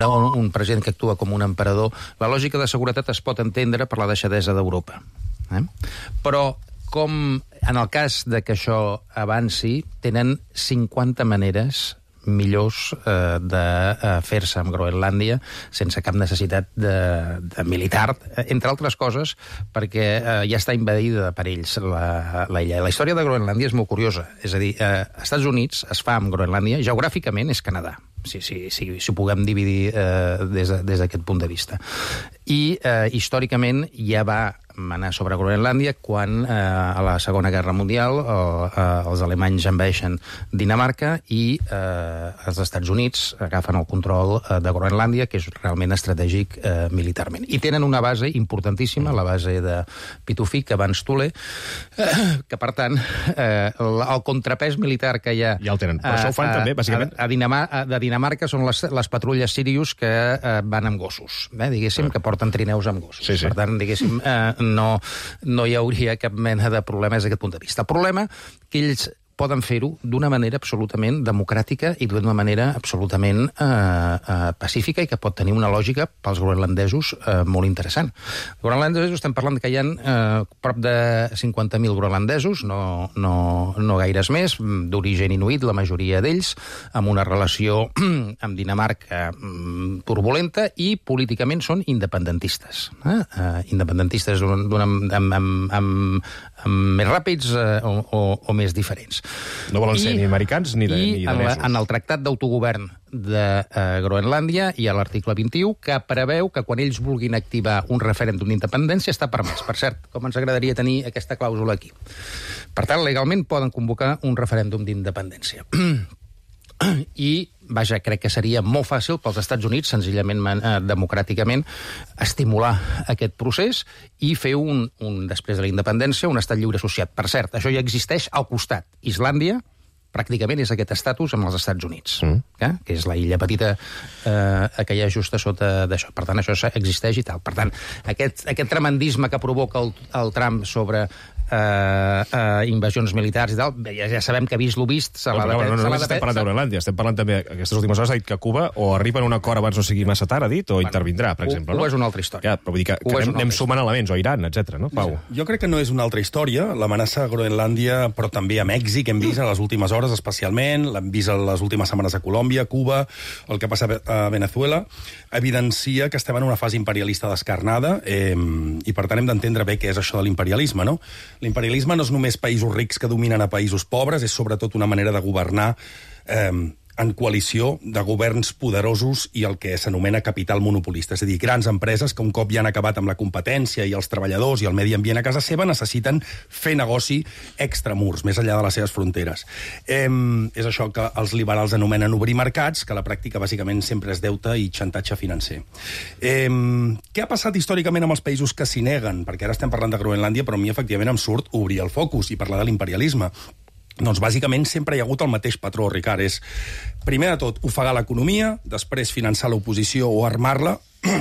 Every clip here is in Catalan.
un president que actua com un emperador, la lògica de seguretat es pot entendre per la deixadesa d'Europa. Però, com en el cas de que això avanci, tenen 50 maneres millors de fer-se amb Groenlàndia sense cap necessitat de militar, entre altres coses, perquè ja està invadida per ells la illa. La història de Groenlàndia és molt curiosa. És a dir, Estats Units es fa amb Groenlàndia, geogràficament és Canadà, si ho puguem dividir des d'aquest punt de vista. I històricament ja va manar sobre Groenlàndia quan a la Segona Guerra Mundial els alemanys envaeixen Dinamarca i els Estats Units agafen el control de Groenlàndia, que és realment estratègic militarment. I tenen una base importantíssima, la base de Pituffik, abans Thule, que per tant el contrapès militar que hi ha... Ja el tenen, però això ho fan també, bàsicament. De Dinamarca són les patrulles Sirius que van amb gossos, diguéssim, que porten trineus amb gossos. Sí. Per tant, diguéssim, no hi hauria cap mena de problemes d'aquest punt de vista. El problema que ells poden fer-ho d'una manera absolutament democràtica i d'una manera absolutament pacífica i que pot tenir una lògica pels groenlandesos molt interessant. Els groenlandesos estem parlant que hi ha prop de 50.000 groenlandesos, no gaires més, d'origen inuit, la majoria d'ells, amb una relació amb Dinamarca turbulenta i políticament són independentistes. Independentistes més ràpids o més diferents. No volen ser ni americans ni danesos. En el Tractat d'Autogovern de Groenlàndia hi ha l'article 21 que preveu que quan ells vulguin activar un referèndum d'independència està permès. Per cert, com ens agradaria tenir aquesta clàusula aquí. Per tant, legalment poden convocar un referèndum d'independència. I, vaja, crec que seria molt fàcil pels Estats Units, senzillament democràticament, estimular aquest procés i fer després de la independència, un estat lliure associat. Per cert, això ja existeix al costat. Islàndia pràcticament és aquest estatus amb els Estats Units, que és la illa petita que hi ha just a sota d'això. Per tant, això existeix i tal. Per tant, aquest tremendisme que provoca el Trump sobre invasions militars i tal, ja sabem que vist lo vist se l'ha de... No estem parlant de Groenlàndia, estem parlant també, aquestes últimes hores ha dit que Cuba o arriba a un acord abans no sigui massa tard, ha dit, o intervindrà, per exemple. Cuba és una altra història. Però vull dir que anem sumant elements, o Iran, etc. no, Pau? Jo crec que no és una altra història, l'amenaça a Groenlàndia, però també a Mèxic, hem vist a les últimes hores especialment, l'hem vist a les últimes setmanes a Colòmbia, Cuba, el que passa a Venezuela, evidencia que estem en una fase imperialista descarnada i per tant hem d'entendre bé què és això de l'imperialisme, no? L'imperialisme no és només països rics que dominen a països pobres, és sobretot una manera de governar en coalició de governs poderosos i el que s'anomena capital monopolista. És a dir, grans empreses que un cop ja han acabat amb la competència i els treballadors i el medi ambient a casa seva necessiten fer negoci extramurs, més enllà de les seves fronteres. És això que els liberals anomenen obrir mercats, que a la pràctica bàsicament sempre és deute i xantatge financer. Què ha passat històricament amb els països que s'hi neguen? Perquè ara estem parlant de Groenlàndia, però a mi efectivament em surt obrir el focus i parlar de l'imperialisme. Doncs bàsicament sempre hi ha hagut el mateix patró, Ricard. És, primer de tot, ofegar l'economia, després finançar l'oposició o armar-la,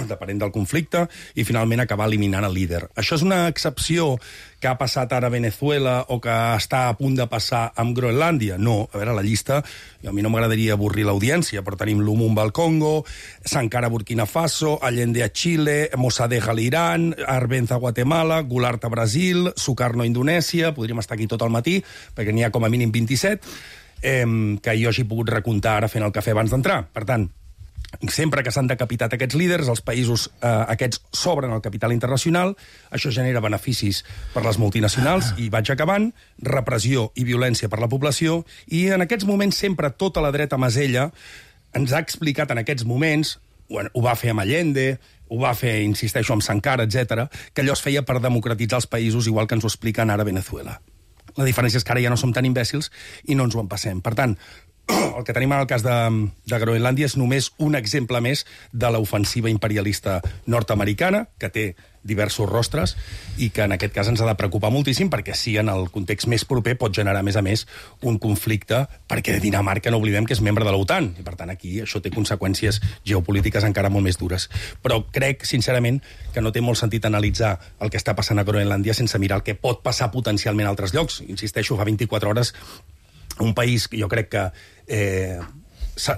depenent del conflicte, i finalment acabar eliminant el líder. Això és una excepció que ha passat ara a Venezuela o que està a punt de passar amb Groenlàndia? No, a veure, la llista, a mi no m'agradaria avorrir l'audiència, però tenim Lumumba al Congo, Sankara a Burkina Faso, Allende a Xile, Mossadegh a l'Iran, Arbenz a Guatemala, Goulart a Brasil, Sukarno a Indonèsia, podríem estar aquí tot el matí, perquè n'hi ha com a mínim 27, que jo hagi pogut recomptar ara fent el cafè abans d'entrar. Per tant, sempre que s'han decapitat aquests líders, els països aquests s'obren al capital internacional, això genera beneficis per les multinacionals, i vaig acabant, repressió i violència per la població, i en aquests moments sempre tota la dreta masella ens ha explicat en aquests moments, ho va fer amb Allende, ho va fer, insisteixo, amb Sankara, etc., que allò es feia per democratitzar els països, igual que ens ho expliquen ara a Venezuela. La diferència és que ara ja no som tan imbècils i no ens ho empassem. Per tant, el que tenim en el cas de Groenlàndia és només un exemple més de l'ofensiva imperialista nord-americana, que té diversos rostres i que en aquest cas ens ha de preocupar moltíssim, perquè sí, en el context més proper pot generar, a més, un conflicte, perquè Dinamarca, no oblidem que és membre de l'OTAN, i per tant aquí això té conseqüències geopolítiques encara molt més dures. Però crec, sincerament, que no té molt sentit analitzar el que està passant a Groenlàndia sense mirar el que pot passar potencialment a altres llocs. Insisteixo, fa 24 hores un país que jo crec que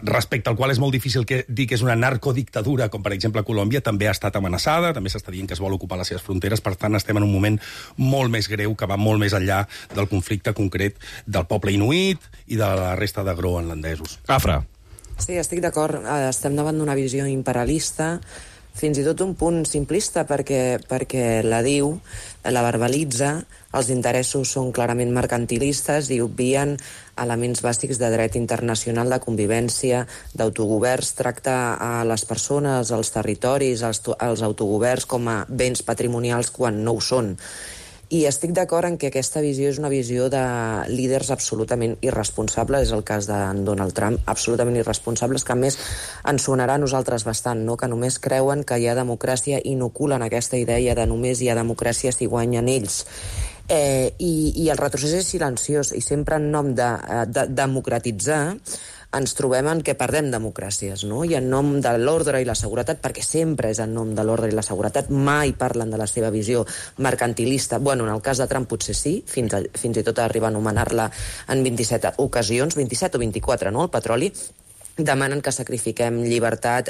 respecte al qual és molt difícil dir que és una narcodictadura, com per exemple Colòmbia, també ha estat amenaçada, també s'està dient que es vol ocupar les seves fronteres, per tant estem en un moment molt més greu, que va molt més enllà del conflicte concret del poble inuit i de la resta de groenlandesos. Afra. Sí, estic d'acord. Estem davant d'una visió imperialista, fins i tot un punt simplista, perquè la diu, la verbalitza, els interessos són clarament mercantilistes i obvien elements bàsics de dret internacional, de convivència, d'autogoverns, tracta a les persones, els territoris, els autogoverns com a béns patrimonials quan no ho són. I estic d'acord en que aquesta visió és una visió de líders absolutament irresponsables, és el cas de Donald Trump, absolutament irresponsables, que a més ens sonarà a nosaltres bastant, no? Que només creuen que hi ha democràcia, inoculen aquesta idea de només hi ha democràcia si guanyen ells. I el retrocés és silenciós, i sempre en nom de democratitzar ens trobem en què perdem democràcies, no? I en nom de l'ordre i la seguretat, perquè sempre és en nom de l'ordre i la seguretat, mai parlen de la seva visió mercantilista. Bueno, en el cas de Trump potser sí, fins i tot arribar a anomenar-la en 27 ocasions, 27 o 24, no?, el petroli. Demanen que sacrifiquem llibertat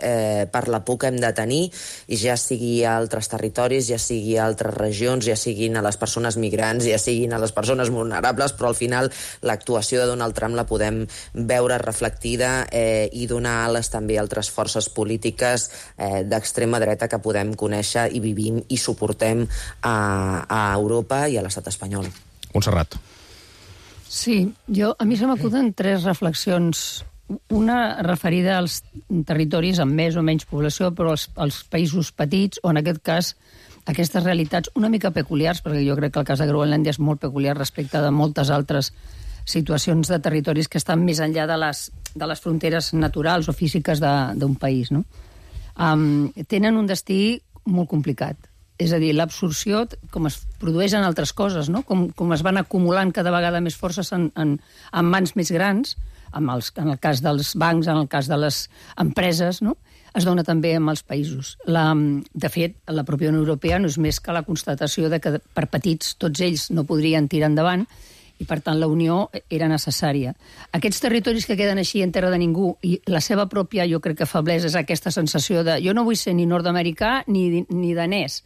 per la por que hem de tenir, i ja sigui a altres territoris, ja sigui a altres regions, ja siguin a les persones migrants, ja siguin a les persones vulnerables, però al final l'actuació de Donald Trump la podem veure reflectida i donar ales també a altres forces polítiques d'extrema dreta que podem conèixer i vivim i suportem a Europa i a l'estat espanyol. Montserrat. Sí, a mi se m'acuden 3 reflexions. Una referida als territoris amb més o menys població, però als països petits, o en aquest cas aquestes realitats una mica peculiars, perquè jo crec que el cas de Groenlàndia és molt peculiar respecte de moltes altres situacions de territoris que estan més enllà de les fronteres naturals o físiques d'un país, no? Tenen un destí molt complicat. És a dir, l'absorció, com es produeix en altres coses, no? Com es van acumulant cada vegada més forces en mans més grans, en el cas dels bancs, en el cas de les empreses, no? Es dona també amb els països. De fet, la pròpia Unió Europea no és més que la constatació de que per petits tots ells no podrien tirar endavant, i per tant la unió era necessària. Aquests territoris que queden així en terra de ningú, i la seva pròpia, jo crec que feblesa, és aquesta sensació de jo no vull ser ni nord-americà ni danès.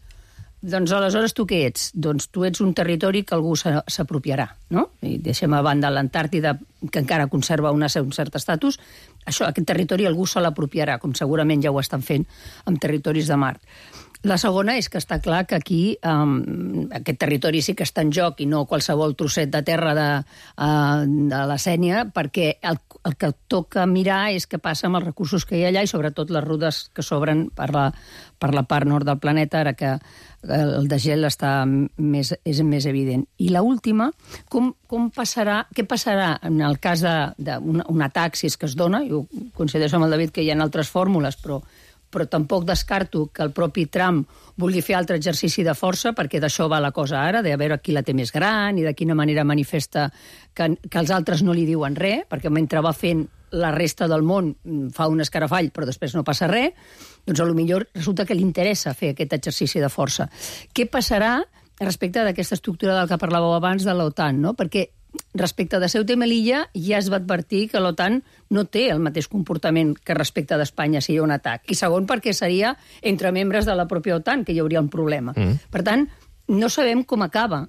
Doncs aleshores tu què ets? Doncs tu ets un territori que algú s'apropiarà, no? I deixem a banda l'Antàrtida, que encara conserva un cert estatus. Aquest territori algú se l'apropiarà, com segurament ja ho estan fent amb territoris de Mart. La segona és que està clar que aquí aquest territori sí que està en joc i no qualsevol trosset de terra de la Sénia, perquè el que toca mirar és què passa amb els recursos que hi ha allà i sobretot les rutes que s'obren per la part nord del planeta, ara que el desgel és més evident. I l'última, què passarà en el cas d'un atac, si és que es dona? Jo coincideixo amb el David que hi ha altres fórmules, però tampoc descarto que el propi Trump vulgui fer altre exercici de força, perquè d'això va la cosa ara, de veure qui la té més gran i de quina manera manifesta que els altres no li diuen res, perquè mentre va fent la resta del món fa un escarafall, però després no passa res, doncs potser resulta que li interessa fer aquest exercici de força. Què passarà respecte d'aquesta estructura del que parlàveu abans de l'OTAN, no? Perquè respecte de Ceuta i Melilla ja es va advertir que l'OTAN no té el mateix comportament que respecte d'Espanya si hi ha un atac. I segon, perquè seria entre membres de la pròpia OTAN que hi hauria un problema. Per tant, no sabem com acaba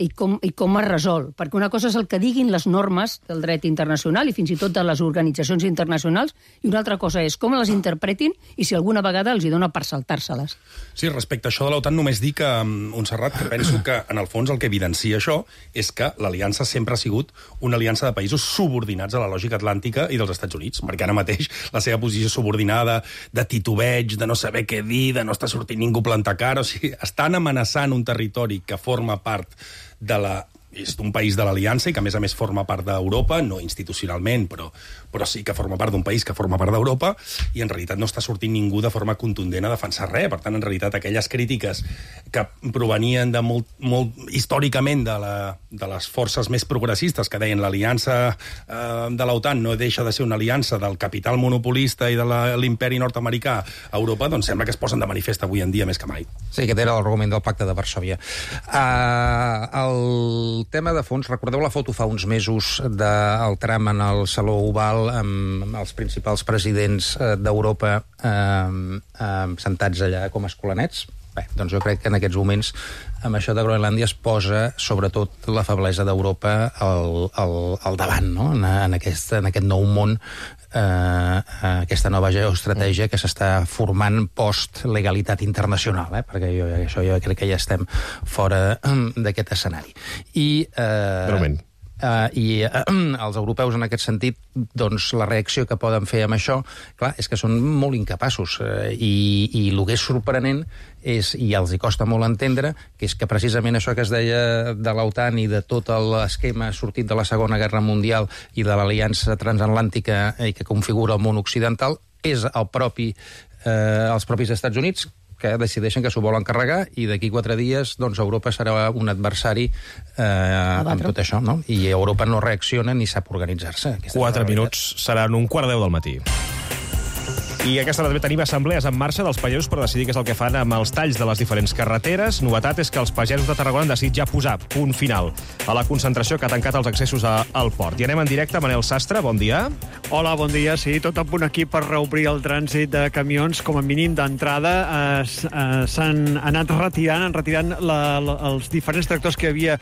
i com es resol, perquè una cosa és el que diguin les normes del dret internacional i fins i tot de les organitzacions internacionals, i una altra cosa és com les interpretin i si alguna vegada els hi dona per saltar-se-les. Sí, respecte a això de l'OTAN, només dic, Montserrat, que penso que, en el fons, el que evidencia això és que l'aliança sempre ha sigut una aliança de països subordinats a la lògica atlàntica i dels Estats Units, perquè ara mateix la seva posició subordinada, de titubeig, de no saber què dir, de no estar sortint ningú plantar cara, o sigui, estan amenaçant un territori que forma part és un país de l'Aliança i que, a més forma part d'Europa, no institucionalment, però sí que forma part d'un país que forma part d'Europa, i en realitat no està sortint ningú de forma contundent a defensar res. Per tant, en realitat, aquelles crítiques que provenien de molt històricament de les forces més progressistes, que deien l'aliança de l'OTAN no deixa de ser una aliança del capital monopolista i de l'imperi nord-americà a Europa, doncs sembla que es posen de manifest avui en dia més que mai. Sí, aquest era l'argument del Pacte de Varsòvia. El el tema de fons, recordeu la foto fa uns mesos del tram en el Saló Oval amb els principals presidents d'Europa sentats allà com escolanets? Bé, doncs jo crec que en aquests moments amb això de Groenlàndia es posa sobretot la feblesa d'Europa al davant, no? En aquest nou món, aquesta nova geoestratègia que s'està formant post-legalitat internacional, perquè jo crec que ja estem fora d'aquest escenari. Breument. I els europeus, en aquest sentit, doncs la reacció que poden fer amb això, clar, és que són molt incapaços. I el que és sorprenent és, i els hi costa molt entendre, que és que precisament això que es deia de l'OTAN i de tot l'esquema sortit de la Segona Guerra Mundial i de l'aliança transatlàntica i que configura el món occidental, és els propis Estats Units que decideixen que s'ho volen carregar i d'aquí 4 dies doncs, Europa serà un adversari amb tot això, no? I Europa no reacciona ni sap organitzar-se. 4 minuts seran 1:15 del matí. I aquesta també tenim assemblees en marxa dels pagesos per decidir què és el que fan amb els talls de les diferents carreteres. Novetat és que els pagesos de Tarragona han decidit ja posar punt final a la concentració que ha tancat els accessos al port. I anem en directe. Manel Sastre, bon dia. Hola, bon dia. Sí, tot a punt aquí per reobrir el trànsit de camions. Com a mínim d'entrada s'han anat retirant els diferents tractors que hi havia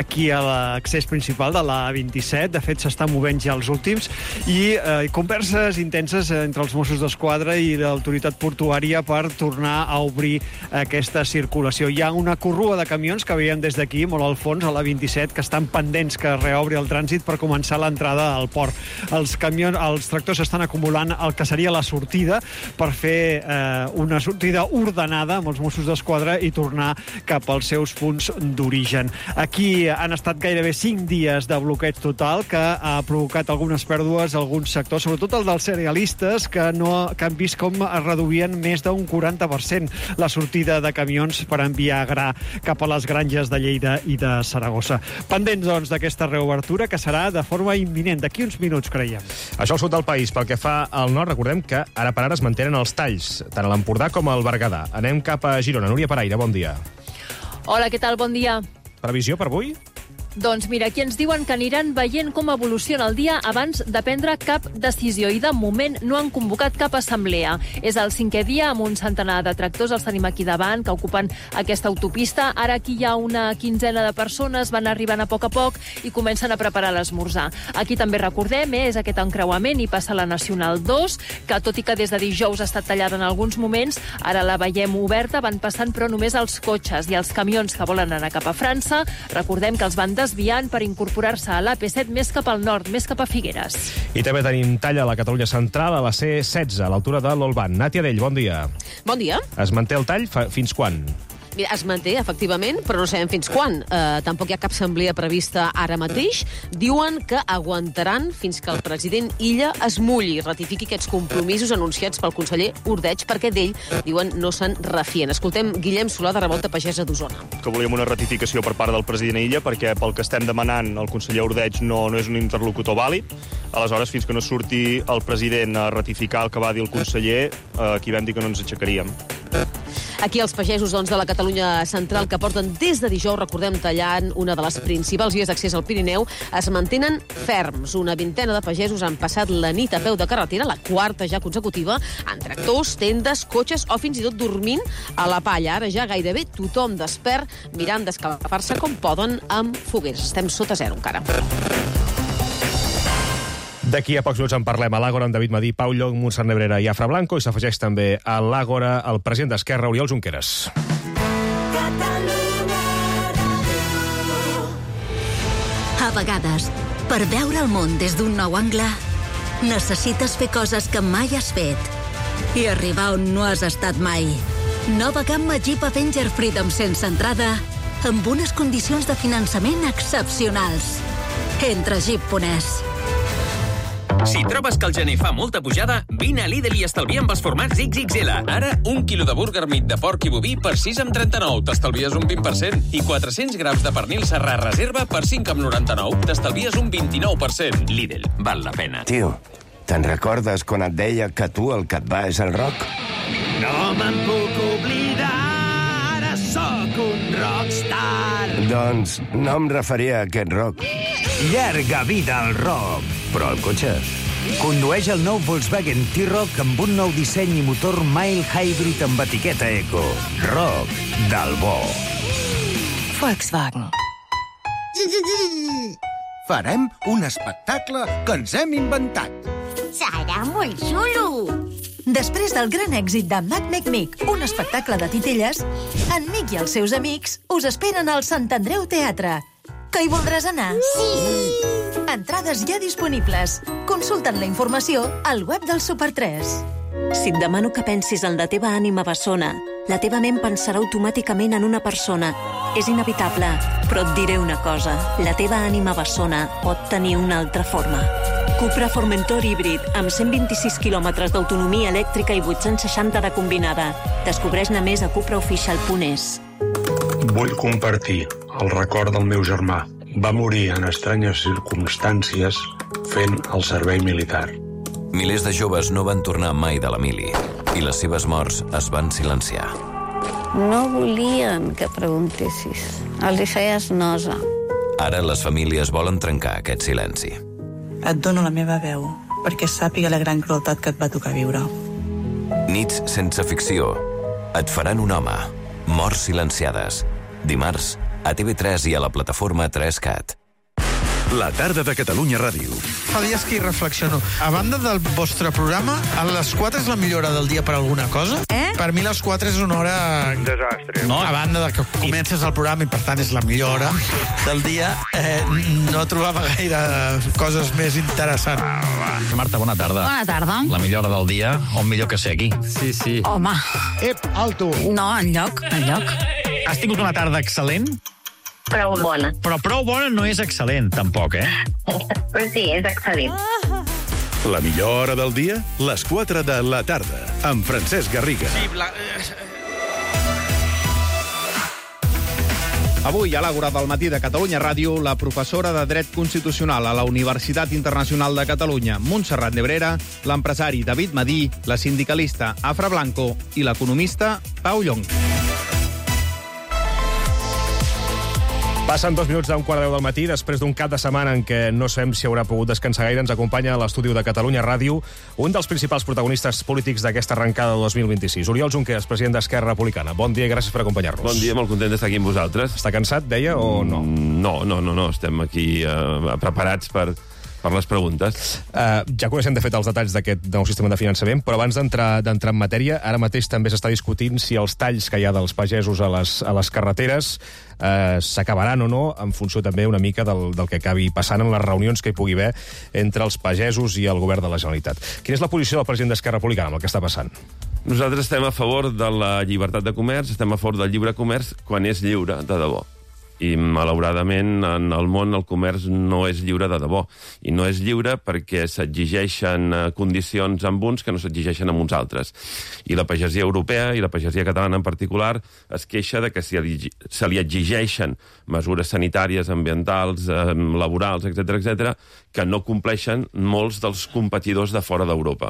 aquí a l'accés principal de la A27. De fet, s'estan movent ja els últims. I converses intenses entre els Mossos d'Esquadra i l'autoritat portuària per tornar a obrir aquesta circulació. Hi ha una corrua de camions que veiem des d'aquí, molt al fons, a la 27, que estan pendents que reobri el trànsit per començar l'entrada al port. Els tractors estan acumulant el que seria la sortida per fer una sortida ordenada amb els Mossos d'Esquadra i tornar cap als seus punts d'origen. Aquí han estat gairebé 5 dies de bloqueig total que ha provocat algunes pèrdues a alguns sectors, sobretot el dels cerealistes, que han vist com es reduïen més d'un 40% la sortida de camions per enviar gra cap a les granges de Lleida i de Saragossa. Pendents, doncs, d'aquesta reobertura, que serà de forma imminent, d'aquí uns minuts, creiem. Això al sud del país. Pel que fa al nord, recordem que ara per ara es mantenen els talls, tant a l'Empordà com al Berguedà. Anem cap a Girona. Núria Paraire, bon dia. Hola, què tal? Bon dia. Previsió per avui? Doncs mira, aquí ens diuen que aniran veient com evoluciona el dia abans de prendre cap decisió i de moment no han convocat cap assemblea. És el 5è dia amb un centenar de tractors, els tenim aquí davant, que ocupen aquesta autopista. Ara aquí hi ha una quinzena de persones, van arribant a poc i comencen a preparar l'esmorzar. Aquí també recordem, és aquest encreuament i passa la Nacional 2, que tot i que des de dijous ha estat tallada en alguns moments, ara la veiem oberta, van passant però només els cotxes i els camions que volen anar cap a França. Recordem que els van desviant per incorporar-se a l'AP7 més cap al nord, més cap a Figueres. I també tenim tall a la Catalunya Central, a la C16, a l'altura de l'Olban. Nàtia Dell, bon dia. Bon dia. Es manté el tall fins quan? Mira, es manté, efectivament, però no sabem fins quan. Tampoc hi ha cap assemblea prevista ara mateix. Diuen que aguantaran fins que el president Illa es mulli i ratifiqui aquests compromisos anunciats pel conseller Ordeig, perquè d'ell, diuen, no se'n refien. Escoltem Guillem Solà, de Revolta Pagesa d'Osona. Que volíem una ratificació per part del president Illa, perquè pel que estem demanant el conseller Ordeig no és un interlocutor vàlid. Aleshores, fins que no surti el president a ratificar el que va dir el conseller, aquí vam dir que no ens aixecaríem. Aquí els pagesos, doncs, de la Catalunya Central, que porten des de dijous, recordem, tallant una de les principals vies d'accés al Pirineu, es mantenen ferms. Una vintena de pagesos han passat la nit a peu de carretera, la 4ª ja consecutiva, en tractors, tendes, cotxes o fins i tot dormint a la palla. Ara ja gairebé tothom despert, mirant d'escalfar-se com poden amb fogueres. Estem sota zero encara. D'aquí a pocs minuts en parlem a l'Àgora amb David Madí, Pau Llong, Montserrat Nebrera i Afra Blanco, i s'afegeix també a l'Àgora el president d'Esquerra, Oriol Junqueras. A vegades, per veure el món des d'un nou angle, necessites fer coses que mai has fet i arribar on no has estat mai. Nova gamma Jeep Avenger Freedom sense entrada, amb unes condicions de finançament excepcionals. Entra a Jeep.es. Si trobes que el gener fa molta pujada, vine a Lidl i estalvia amb els formats XXL. Ara, 1 quilo de burger meat de porc i boví per 6,39, t'estalvies un 20%. I 400 grams de pernil serrà reserva per 5,99, t'estalvies un 29%. Lidl, val la pena. Tio, te'n recordes quan et deia que tu el que et va és el rock? No me'n puc oblidar, ara Sóc un rockstar! Doncs no em referia a aquest rock. Llarga vida al rock! Però el cotxe... Condueix el nou Volkswagen T-Roc amb un nou disseny i motor mild hybrid amb etiqueta eco. Rock del bo. Volkswagen. Farem un espectacle que ens hem inventat. Serà molt xulo! Després del gran èxit de Mac Mic, un espectacle de titelles, en Mic i els seus amics us esperen al Sant Andreu Teatre. Que hi voldràs anar? Sí! Entrades ja disponibles. Consulta'n la informació al web del Super 3. Si et demano que pensis en la teva ànima bessona, la teva ment pensarà automàticament en una persona. És inevitable, però et diré una cosa. La teva ànima bessona pot tenir una altra forma. Cupra Formentor híbrid, amb 126 quilòmetres d'autonomia elèctrica i 860 de combinada. Descobreix-ne més a cupraofficial.es. Vull compartir el record del meu germà. Va morir en estranyes circumstàncies fent el servei militar. Milers de joves no van tornar mai de la mili i les seves morts es van silenciar. No volien que preguntessis. Els hi feies nosa. Ara les famílies volen trencar aquest silenci. Et dono la meva veu perquè sàpiga la gran crueltat que et va tocar viure. Nits sense ficció. Et faran un home. Morts silenciades. Dimarts, a TV3 i a la plataforma 3CAT. La tarda de Catalunya Ràdio. Fa dies que hi reflexiono. A banda del vostre programa, a les 4 és la millor hora del dia per alguna cosa? Per mi les 4 és una hora... Desastre. No, a banda de que comences el programa i per tant és la millor hora del dia, no trobava gaire coses més interessants. Marta, bona tarda. Bona tarda. La millor hora del dia, on millor que ser aquí. Sí, sí. Home. Alto. No, enlloc. Has tingut una tarda excel·lent? Prou bona. Però prou bona no és excel·lent, tampoc, Però sí, és excel·lent. La millor hora del dia, les 4 de la tarda, amb Francesc Garriga. Avui, a l'Àgora del matí de Catalunya Ràdio, la professora de Dret Constitucional a la Universitat Internacional de Catalunya, Montserrat Nebrera, l'empresari David Madí, la sindicalista Afra Blanco i l'economista Pau Llong. Passen 2 minuts d'un 9:15 del matí, després d'un cap de setmana en què no sabem si haurà pogut descansar gaire. Ens acompanya a l'estudi de Catalunya Ràdio un dels principals protagonistes polítics d'aquesta arrencada de 2026, Oriol Junqueras, president d'Esquerra Republicana. Bon dia i gràcies per acompanyar-nos. Bon dia, molt content d'estar aquí amb vosaltres. Està cansat, deia, o no? No. Estem aquí preparats per les preguntes. Ja coneixem, de fet, els detalls d'aquest nou sistema de finançament, però abans d'entrar en matèria, ara mateix també s'està discutint si els talls que hi ha dels pagesos a les carreteres s'acabaran o no, en funció també una mica del que acabi passant en les reunions que hi pugui haver entre els pagesos i el govern de la Generalitat. Quina és la posició del president d'Esquerra Republicana amb el que està passant? Nosaltres estem a favor de la llibertat de comerç, estem a favor del lliure comerç quan és lliure de debò. I, malauradament, en el món el comerç no és lliure de debò. I no és lliure perquè s'exigeixen condicions amb uns que no s'exigeixen amb uns altres. I la pagesia europea, i la pagesia catalana en particular, es queixa de que se li exigeixen mesures sanitàries, ambientals, laborals, etc., que no compleixen molts dels competidors de fora d'Europa.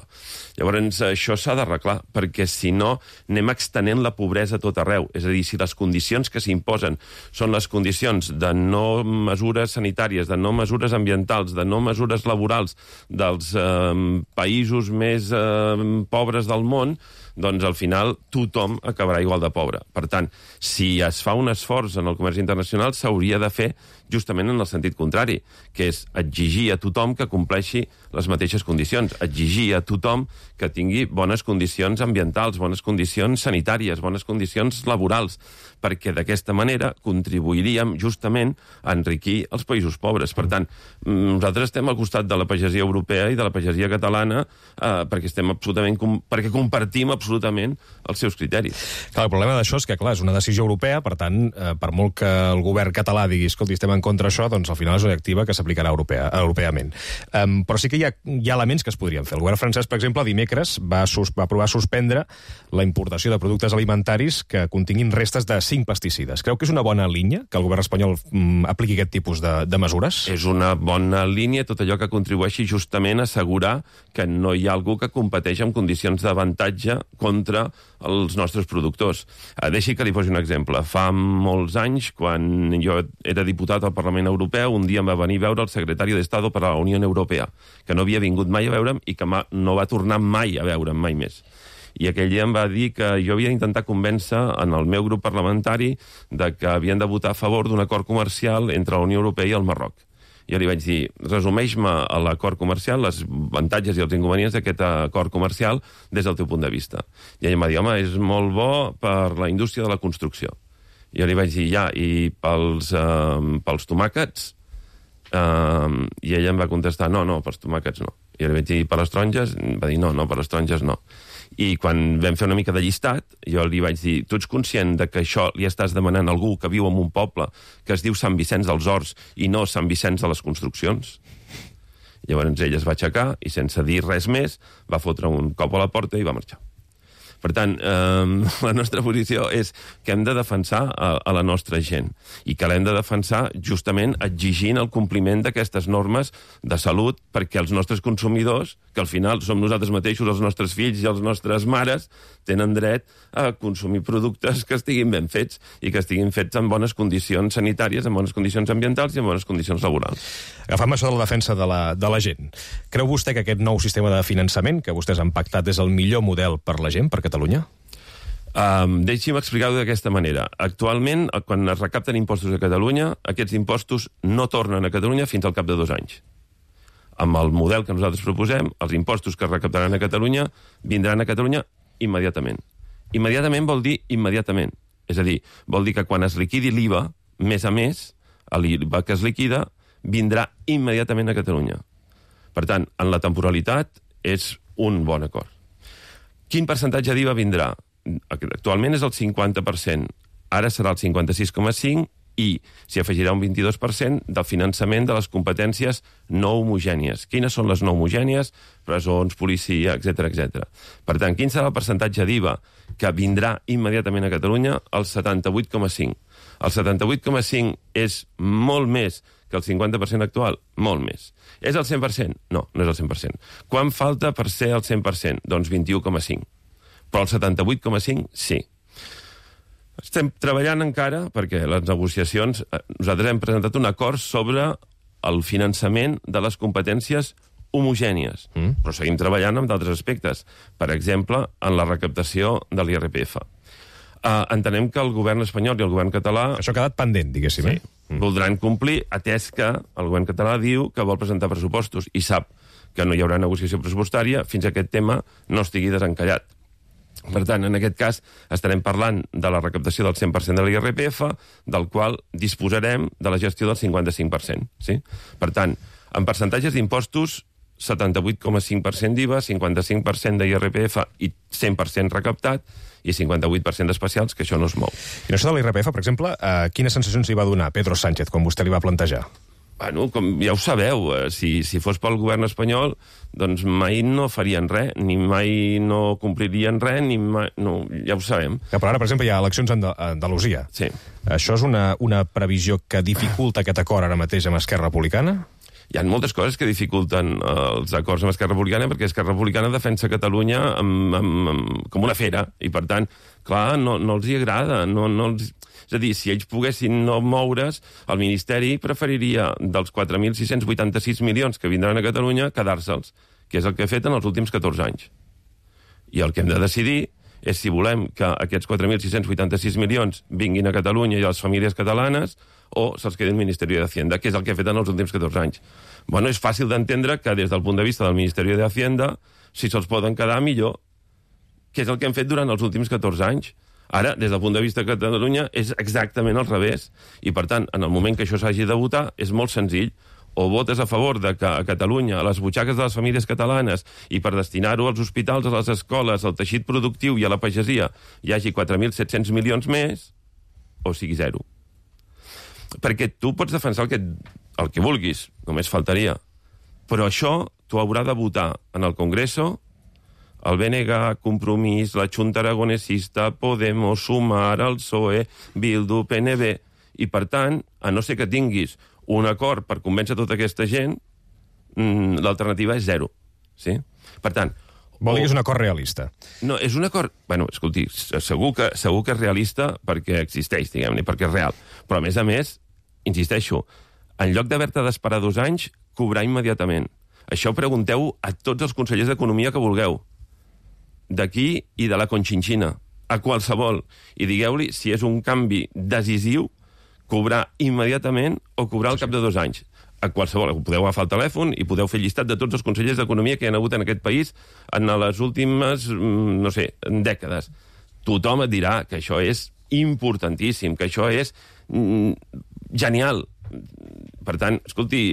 Llavors, això s'ha d'arreglar, perquè si no, anem extenent la pobresa a tot arreu. És a dir, si les condicions que s'imposen són les condicions de no mesures sanitàries, de no mesures ambientals, de no mesures laborals dels països més pobres del món, doncs al final tothom acabarà igual de pobre. Per tant, si es fa un esforç en el comerç internacional, s'hauria de fer justament en el sentit contrari, que és exigir a tothom que compleixi les mateixes condicions, exigir a tothom que tingui bones condicions ambientals, bones condicions sanitàries, bones condicions laborals, perquè d'aquesta manera contribuiríem justament a enriquir els països pobres. Per tant, nosaltres estem al costat de la pagesia europea i de la pagesia catalana perquè compartim absolutament els seus criteris. Clar, el problema d'això és que, clar, és una decisió europea, per tant, per molt que el govern català digui, escolti, estem en contra d'això, doncs al final és una directiva que s'aplicarà europeament. Però sí que hi ha elements que es podrien fer. El govern francès, per exemple, dimecres va aprovar suspendre la importació de productes alimentaris que continguin restes de 5 pesticides. Creu que és una bona línia que el govern espanyol apliqui aquest tipus de mesures? És una bona línia tot allò que contribueixi justament a assegurar que no hi ha algú que competeix en condicions d'avantatge contra els nostres productors. Deixi que li posi un exemple. Fa molts anys, quan jo era diputat al Parlament Europeu, un dia em va venir a veure el secretari d'Estado per a la Unió Europea, que no havia vingut mai a veure'm i que no va tornar mai a veure'm, mai més. I aquell dia em va dir que jo havia d'intentar convèncer en el meu grup parlamentari de que havien de votar a favor d'un acord comercial entre la Unió Europea i el Marroc. Jo li vaig dir, resumeix-me l'acord comercial, els avantatges i els inconvenients d'aquest acord comercial des del teu punt de vista. I ell em va dir, home, és molt bo per la indústria de la construcció. Jo li vaig dir, ja, i pels tomàquets? I ella em va contestar, no, pels tomàquets no. I jo li vaig dir, per les taronges? Em va dir, no, per les taronges no. I quan vam fer una mica de llistat, jo li vaig dir, tu ets conscient de que això li estàs demanant a algú que viu en un poble que es diu Sant Vicenç dels Horts i no Sant Vicenç de les Construccions? Llavors ell es va aixecar i sense dir res més va fotre un cop a la porta i va marxar. Per tant, la nostra posició és que hem de defensar a la nostra gent i que l'hem de defensar justament exigint el compliment d'aquestes normes de salut perquè els nostres consumidors, que al final som nosaltres mateixos, els nostres fills i les nostres mares, tenen dret a consumir productes que estiguin ben fets i que estiguin fets en bones condicions sanitàries, en bones condicions ambientals i en bones condicions laborals. Agafant això de la defensa de la gent, creu vostè que aquest nou sistema de finançament que vostès han pactat és el millor model per la gent, per Catalunya? Deixi'm explicar-ho d'aquesta manera. Actualment, quan es recapten impostos a Catalunya, aquests impostos no tornen a Catalunya fins al cap de 2 anys. Amb el model que nosaltres proposem, els impostos que es recaptaran a Catalunya vindran a Catalunya immediatament. Immediatament vol dir immediatament. És a dir, vol dir que quan es liquidi l'IVA, més a més, l'IVA que es liquida vindrà immediatament a Catalunya. Per tant, en la temporalitat és un bon acord. Quin percentatge d'IVA vindrà? Actualment és el 50%, ara serà el 56,5% i s'hi afegirà un 22% del finançament de les competències no homogènies. Quines són les no homogènies? Presons, policia, etc. Per tant, quin serà el percentatge d'IVA que vindrà immediatament a Catalunya? El 78,5%. El 78,5% és molt més que el 50% actual? Molt més. És el 100%? No, no és el 100%. Quan falta per ser el 100%? Doncs 21,5%. Però el 78,5% sí. Estem treballant encara, perquè les negociacions... Nosaltres hem presentat un acord sobre el finançament de les competències homogènies, però seguim treballant en d'altres aspectes. Per exemple, en la recaptació de l'IRPF. Entenem que el govern espanyol i el govern català... Això ha quedat pendent, diguéssim. Sí, voldran complir, atès que el govern català diu que vol presentar pressupostos i sap que no hi haurà negociació pressupostària fins que aquest tema no estigui desencallat. Per tant, en aquest cas, estarem parlant de la recaptació del 100% de l'IRPF, del qual disposarem de la gestió del 55%. Sí? Per tant, en percentatges d'impostos, 78,5% d'IVA, 55% d'IRPF i 100% recaptat, i 58% d'especials, que això no es mou. I això de l'IRPF, per exemple, quines sensacions li va donar Pedro Sánchez quan vostè li va plantejar? Bueno, com ja ho sabeu, si fos pel govern espanyol, doncs mai no farien res, ni mai no complirien res, ni mai... No, ja ho sabem. Però ara, per exemple, hi ha eleccions a Andalusia. Sí. Això és una previsió que dificulta aquest acord ara mateix amb Esquerra Republicana? Hi ha moltes coses que dificulten els acords amb Esquerra Republicana, perquè Esquerra Republicana defensa Catalunya com una fera, i per tant, clar, no els hi agrada, És a dir, si ells poguessin no moure's, el Ministeri preferiria dels 4.686 milions que vindran a Catalunya quedar-se'ls, que és el que ha fet en els últims 14 anys. I el que hem de decidir és si volem que aquests 4.686 milions vinguin a Catalunya i a les famílies catalanes o se'ls quedi el Ministeri d'Hacienda, que és el que ha fet en els últims 14 anys. Bueno, és fàcil d'entendre que des del punt de vista del Ministeri d'Hacienda, si se'ls poden quedar millor, que és el que hem fet durant els últims 14 anys. Ara, des del punt de vista de Catalunya, és exactament al revés. I, per tant, en el moment que això s'hagi de votar, és molt senzill. O votes a favor de que a Catalunya, a les butxaques de les famílies catalanes, i per destinar-ho als hospitals, a les escoles, al teixit productiu i a la pagesia, hi hagi 4.700 milions més, o sigui zero. Perquè tu pots defensar el que vulguis, només faltaria. Però això t'ho haurà de votar en el Congreso, el BNG, Compromís, la Junta Aragonesista, Podemos, Sumar, el PSOE, Bildu, PNB... I, per tant, a no ser que tinguis un acord per convèncer tota aquesta gent, l'alternativa és zero. Sí? Per tant, Vol dir que és un acord realista. No, és un acord... Bueno, escolti, segur que és realista perquè existeix, diguem-ne, perquè és real. Però, a més, insisteixo, en lloc d'haver-te d'esperar 2 anys, cobrar immediatament. Això pregunteu a tots els consellers d'Economia que vulgueu. D'aquí i de la Conchinchina. A qualsevol. I digueu-li si és un canvi decisiu cobrar immediatament o cobrar al cap de 2 anys. A qualsevol. Podeu agafar el telèfon i podeu fer llistat de tots els consellers d'Economia que hi ha hagut en aquest país en les últimes, no sé, dècades. Tothom et dirà que això és importantíssim, que això és genial. Per tant, escolti,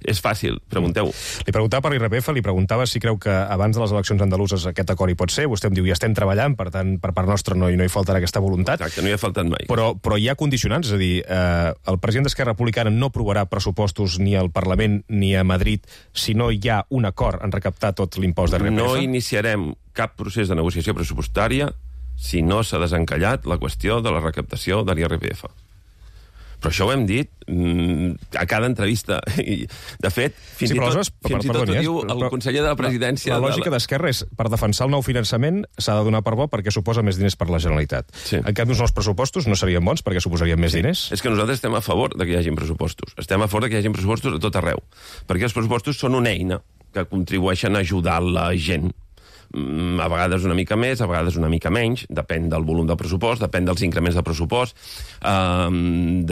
és fàcil, pregunteu. Li preguntava per l'IRPF, li preguntava si creu que abans de les eleccions andaluses aquest acord hi pot ser. Vostè em diu, ja estem treballant, per tant, per part nostra no hi faltarà aquesta voluntat. Exacte, no hi ha faltat mai. Però hi ha condicionants, és a dir, el president d'Esquerra Republicana no aprovarà pressupostos ni al Parlament ni a Madrid si no hi ha un acord en recaptar tot l'impost de l'IRPF? No iniciarem cap procés de negociació pressupostària si no s'ha desencallat la qüestió de la recaptació de l'IRPF. Però això ho hem dit a cada entrevista. I, de fet, fins i tot ho diu el conseller de la presidència... La lògica d'Esquerra és, per defensar el nou finançament, s'ha de donar per bo perquè suposa més diners per la Generalitat. Sí. En canvi, uns nous pressupostos no serien bons perquè suposarien més diners? És que nosaltres estem a favor de que hi hagi pressupostos. Estem a favor de que hi hagi pressupostos a tot arreu. Perquè els pressupostos són una eina que contribueixen a ajudar la gent. A vegades una mica més, a vegades una mica menys, depèn del volum del pressupost, depèn dels increments del pressupost,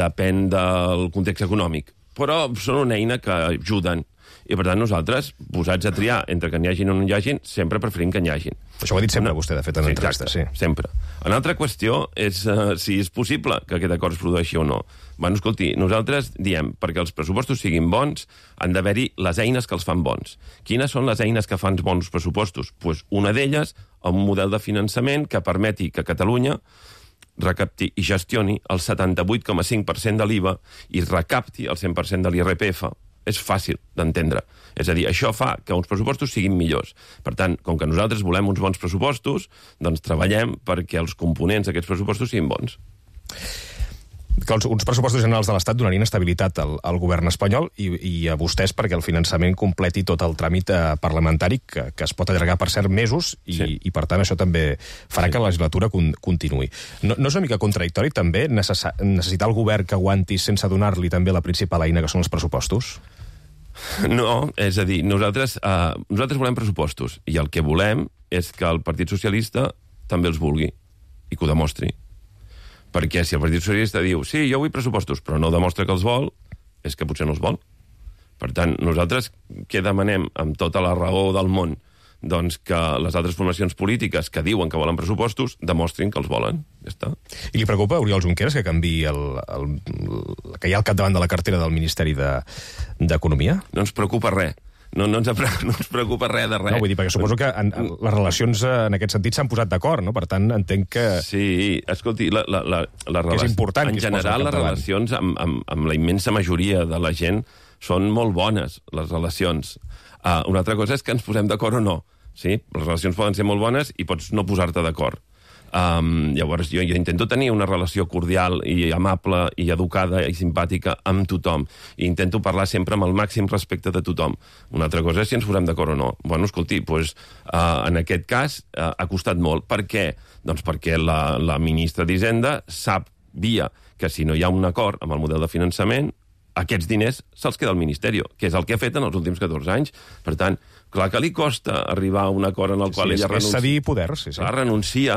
depèn del context econòmic. Però són una eina que ajuden. I, per tant, nosaltres, posats a triar entre que n'hi hagin o no n'hi hagin, sempre preferim que n'hi hagin. Això ho ha dit sempre vostè, de fet, en entrevistes. Sí, sempre. Una altra qüestió és si és possible que aquest acord es produeixi o no. Bueno, escolti, nosaltres diem, perquè els pressupostos siguin bons, han d'haver-hi les eines que els fan bons. Quines són les eines que fan bons pressupostos? Pues una d'elles, un model de finançament que permeti que Catalunya recapti i gestioni el 78,5% de l'IVA i recapti el 100% de l'IRPF. És fàcil d'entendre. És a dir, això fa que uns pressupostos siguin millors. Per tant, com que nosaltres volem uns bons pressupostos, doncs treballem perquè els components d'aquests pressupostos siguin bons. Que uns pressupostos generals de l'Estat donarien estabilitat al govern espanyol i a vostès perquè el finançament completi tot el tràmit parlamentari que es pot allargar per certs mesos i per tant això també farà que la legislatura continuï. No és una mica contradictori també necessitar el govern que aguanti sense donar-li també la principal eina que són els pressupostos? No, és a dir, nosaltres volem pressupostos i el que volem és que el Partit Socialista també els vulgui i que ho demostri. Perquè si el Partit Socialista diu sí, jo vull pressupostos, però no demostra que els vol, és que potser no els vol. Per tant, nosaltres què demanem amb tota la raó del món? Doncs que les altres formacions polítiques que diuen que volen pressupostos demostrin que els volen. Ja està. I li preocupa Oriol Junqueras que canviï que hi ha al capdavant de la cartera del Ministeri d'Economia? No ens preocupa res. No ens preocupa res de res. No, vull dir, perquè suposo que les relacions en aquest sentit s'han posat d'acord, no? Per tant, entenc que... Sí, escolti, que és important en general les relacions amb la immensa majoria de la gent són molt bones, les relacions. Una altra cosa és que ens posem d'acord o no. Sí? Les relacions poden ser molt bones i pots no posar-te d'acord. Llavors jo intento tenir una relació cordial i amable i educada i simpàtica amb tothom i intento parlar sempre amb el màxim respecte de tothom. Una altra cosa és si ens posem d'acord o no. Bueno, escolti, en aquest cas ha costat molt. Per què? Doncs perquè la ministra d'Hisenda sabia que si no hi ha un acord amb el model de finançament aquests diners se'ls queda al Ministeri, que és el que ha fet en els últims 14 anys. Per tant, clar que li costa arribar a un acord en el qual ella renuncia. És cedir poder, sí. Clar, renuncia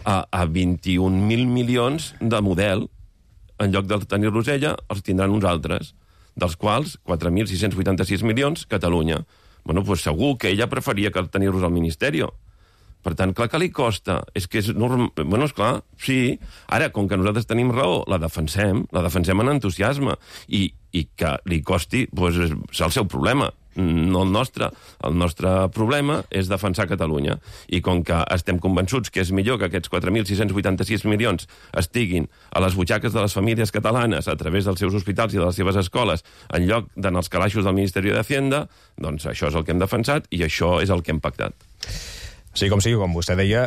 a 21.000 milions de model, en lloc de tenir-los ella, els tindran uns altres, dels quals 4.686 milions, Catalunya. Bueno, doncs segur que ella preferia que tenir-los al Ministeri. Per tant, clar que li costa. És que és normal. Bueno, esclar, sí. Ara, com que nosaltres tenim raó, la defensem amb entusiasme. I que li costi, doncs és el seu problema, no el nostre. El nostre problema és defensar Catalunya. I com que estem convençuts que és millor que aquests 4.686 milions estiguin a les butxaques de les famílies catalanes a través dels seus hospitals i de les seves escoles en lloc d'anar als calaixos del Ministeri d'Hacienda, doncs això és el que hem defensat i això és el que hem pactat. Sí, com sigui, com vostè deia,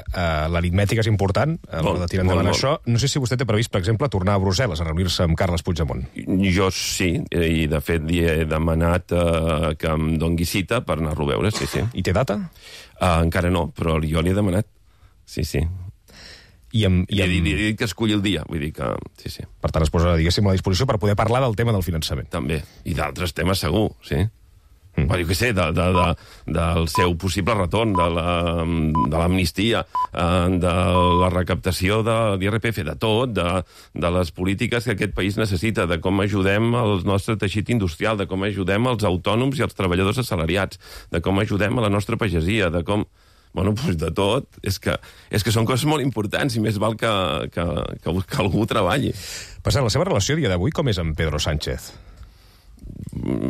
l'aritmètica és important a l'hora de tirar endavant això. No sé si vostè té previst, per exemple, tornar a Brussel·les a reunir-se amb Carles Puigdemont. Jo sí, i de fet li he demanat que em dongui cita per anar-lo a veure, sí. I té data? Encara no, però jo li he demanat. Sí. I he dit que esculli el dia, vull dir que... Sí. Per tant, es posa, diguéssim, a disposició per poder parlar del tema del finançament. També, i d'altres temes segur, sí. Però jo què sé, del seu possible retorn, de l'amnistia, de la recaptació de l'IRPF, de tot, de les polítiques que aquest país necessita, de com ajudem el nostre teixit industrial, de com ajudem els autònoms i els treballadors assalariats, de com ajudem a la nostra pagesia, de com... Bueno, doncs de tot. És que són coses molt importants i més val que algú treballi. Per cert, la seva relació a dia d'avui com és amb Pedro Sánchez?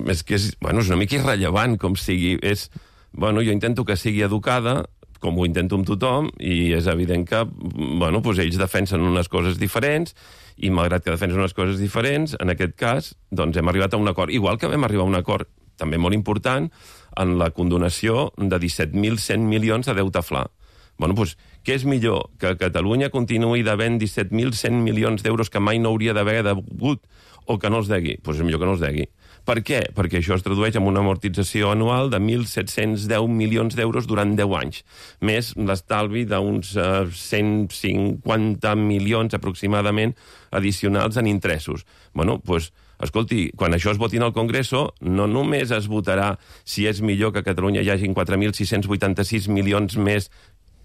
És que és una mica irrellevant com sigui. Jo intento que sigui educada, com ho intento amb tothom, i és evident que ells defensen unes coses diferents, i malgrat que defensen unes coses diferents, en aquest cas, doncs hem arribat a un acord. Igual que vam arribar a un acord també molt important en la condonació de 17.100 milions de deute fla. Què és millor? Que Catalunya continuï devent 17.100 milions d'euros que mai no hauria d'haver degut o que no els degui? Doncs és millor que no els degui. Per què? Perquè això es tradueix en una amortització anual de 1.710 milions d'euros durant 10 anys, més l'estalvi d'uns 150 milions aproximadament addicionals en interessos. Escolti, quan això es voti al Congreso, no només es votarà si és millor que a Catalunya hi hagin 4.686 milions més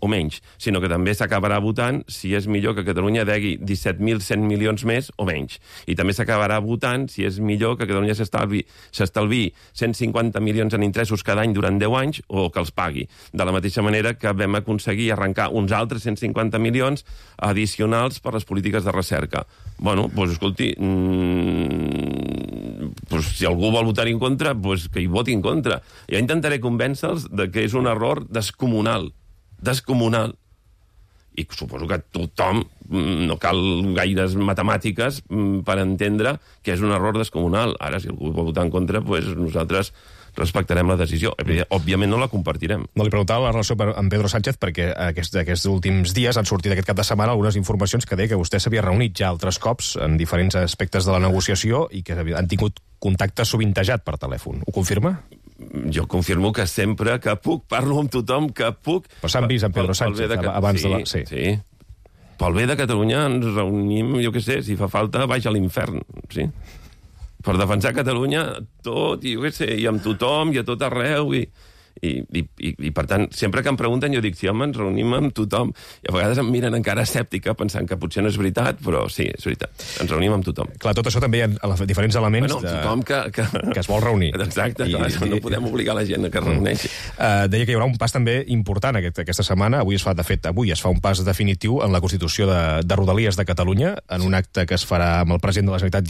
o menys, sinó que també s'acabarà votant si és millor que Catalunya degui 17.100 milions més o menys. I també s'acabarà votant si és millor que Catalunya s'estalvi 150 milions en interessos cada any durant 10 anys o que els pagui. De la mateixa manera que vam aconseguir arrencar uns altres 150 milions addicionals per les polítiques de recerca. Escolti, si algú vol votar en contra, que hi voti en contra. Jo intentaré convèncer-los que és un error descomunal. I suposo que tothom, no cal gaires matemàtiques per entendre que és un error descomunal. Ara, si algú vol votar en contra, nosaltres respectarem la decisió. Òbviament no la compartirem. No li preguntava la relació amb Pedro Sánchez perquè aquests últims dies han sortit aquest cap de setmana algunes informacions que deia que vostè s'havia reunit ja altres cops en diferents aspectes de la negociació i que han tingut contacte sovintejat per telèfon. Ho confirma? Jo confirmo que sempre que puc parlo amb tothom que puc. Però s'han vist amb Pedro Sánchez abans de la... Sí. Pel bé de Catalunya ens reunim, jo què sé, si fa falta, baix a l'infern, sí. Per defensar Catalunya tot, i jo què sé, i amb tothom, i a tot arreu, i per tant, sempre que em pregunten jo dic, sí, home, ens reunim amb tothom. I a vegades em miren encara escèptica pensant que potser no és veritat, però sí, és veritat. Ens reunim amb tothom. Clar, tot això també hi ha diferents elements tothom que es vol reunir. Exacte, no podem obligar la gent a que es reuneixi. Deia que hi haurà un pas també important aquesta setmana. Avui es fa un pas definitiu en la Constitució de Rodalies de Catalunya, en un acte que es farà amb el president de la Generalitat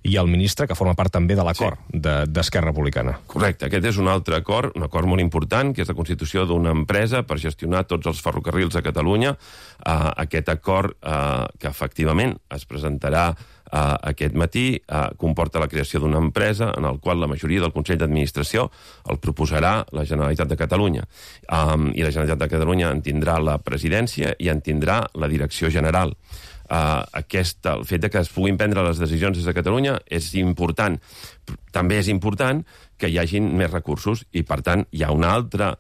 i el ministre, que forma part també de l'acord d'Esquerra Republicana. Correcte, aquest és un altre acord, un acord molt important, que és la constitució d'una empresa per gestionar tots els ferrocarrils a Catalunya. Aquest acord, que efectivament es presentarà aquest matí, comporta la creació d'una empresa en el qual la majoria del Consell d'Administració el proposarà la Generalitat de Catalunya. I la Generalitat de Catalunya en tindrà la presidència i en tindrà la direcció general. El fet que es puguin prendre les decisions des de Catalunya és important. També és important que hi hagin més recursos i, per tant, hi ha una altra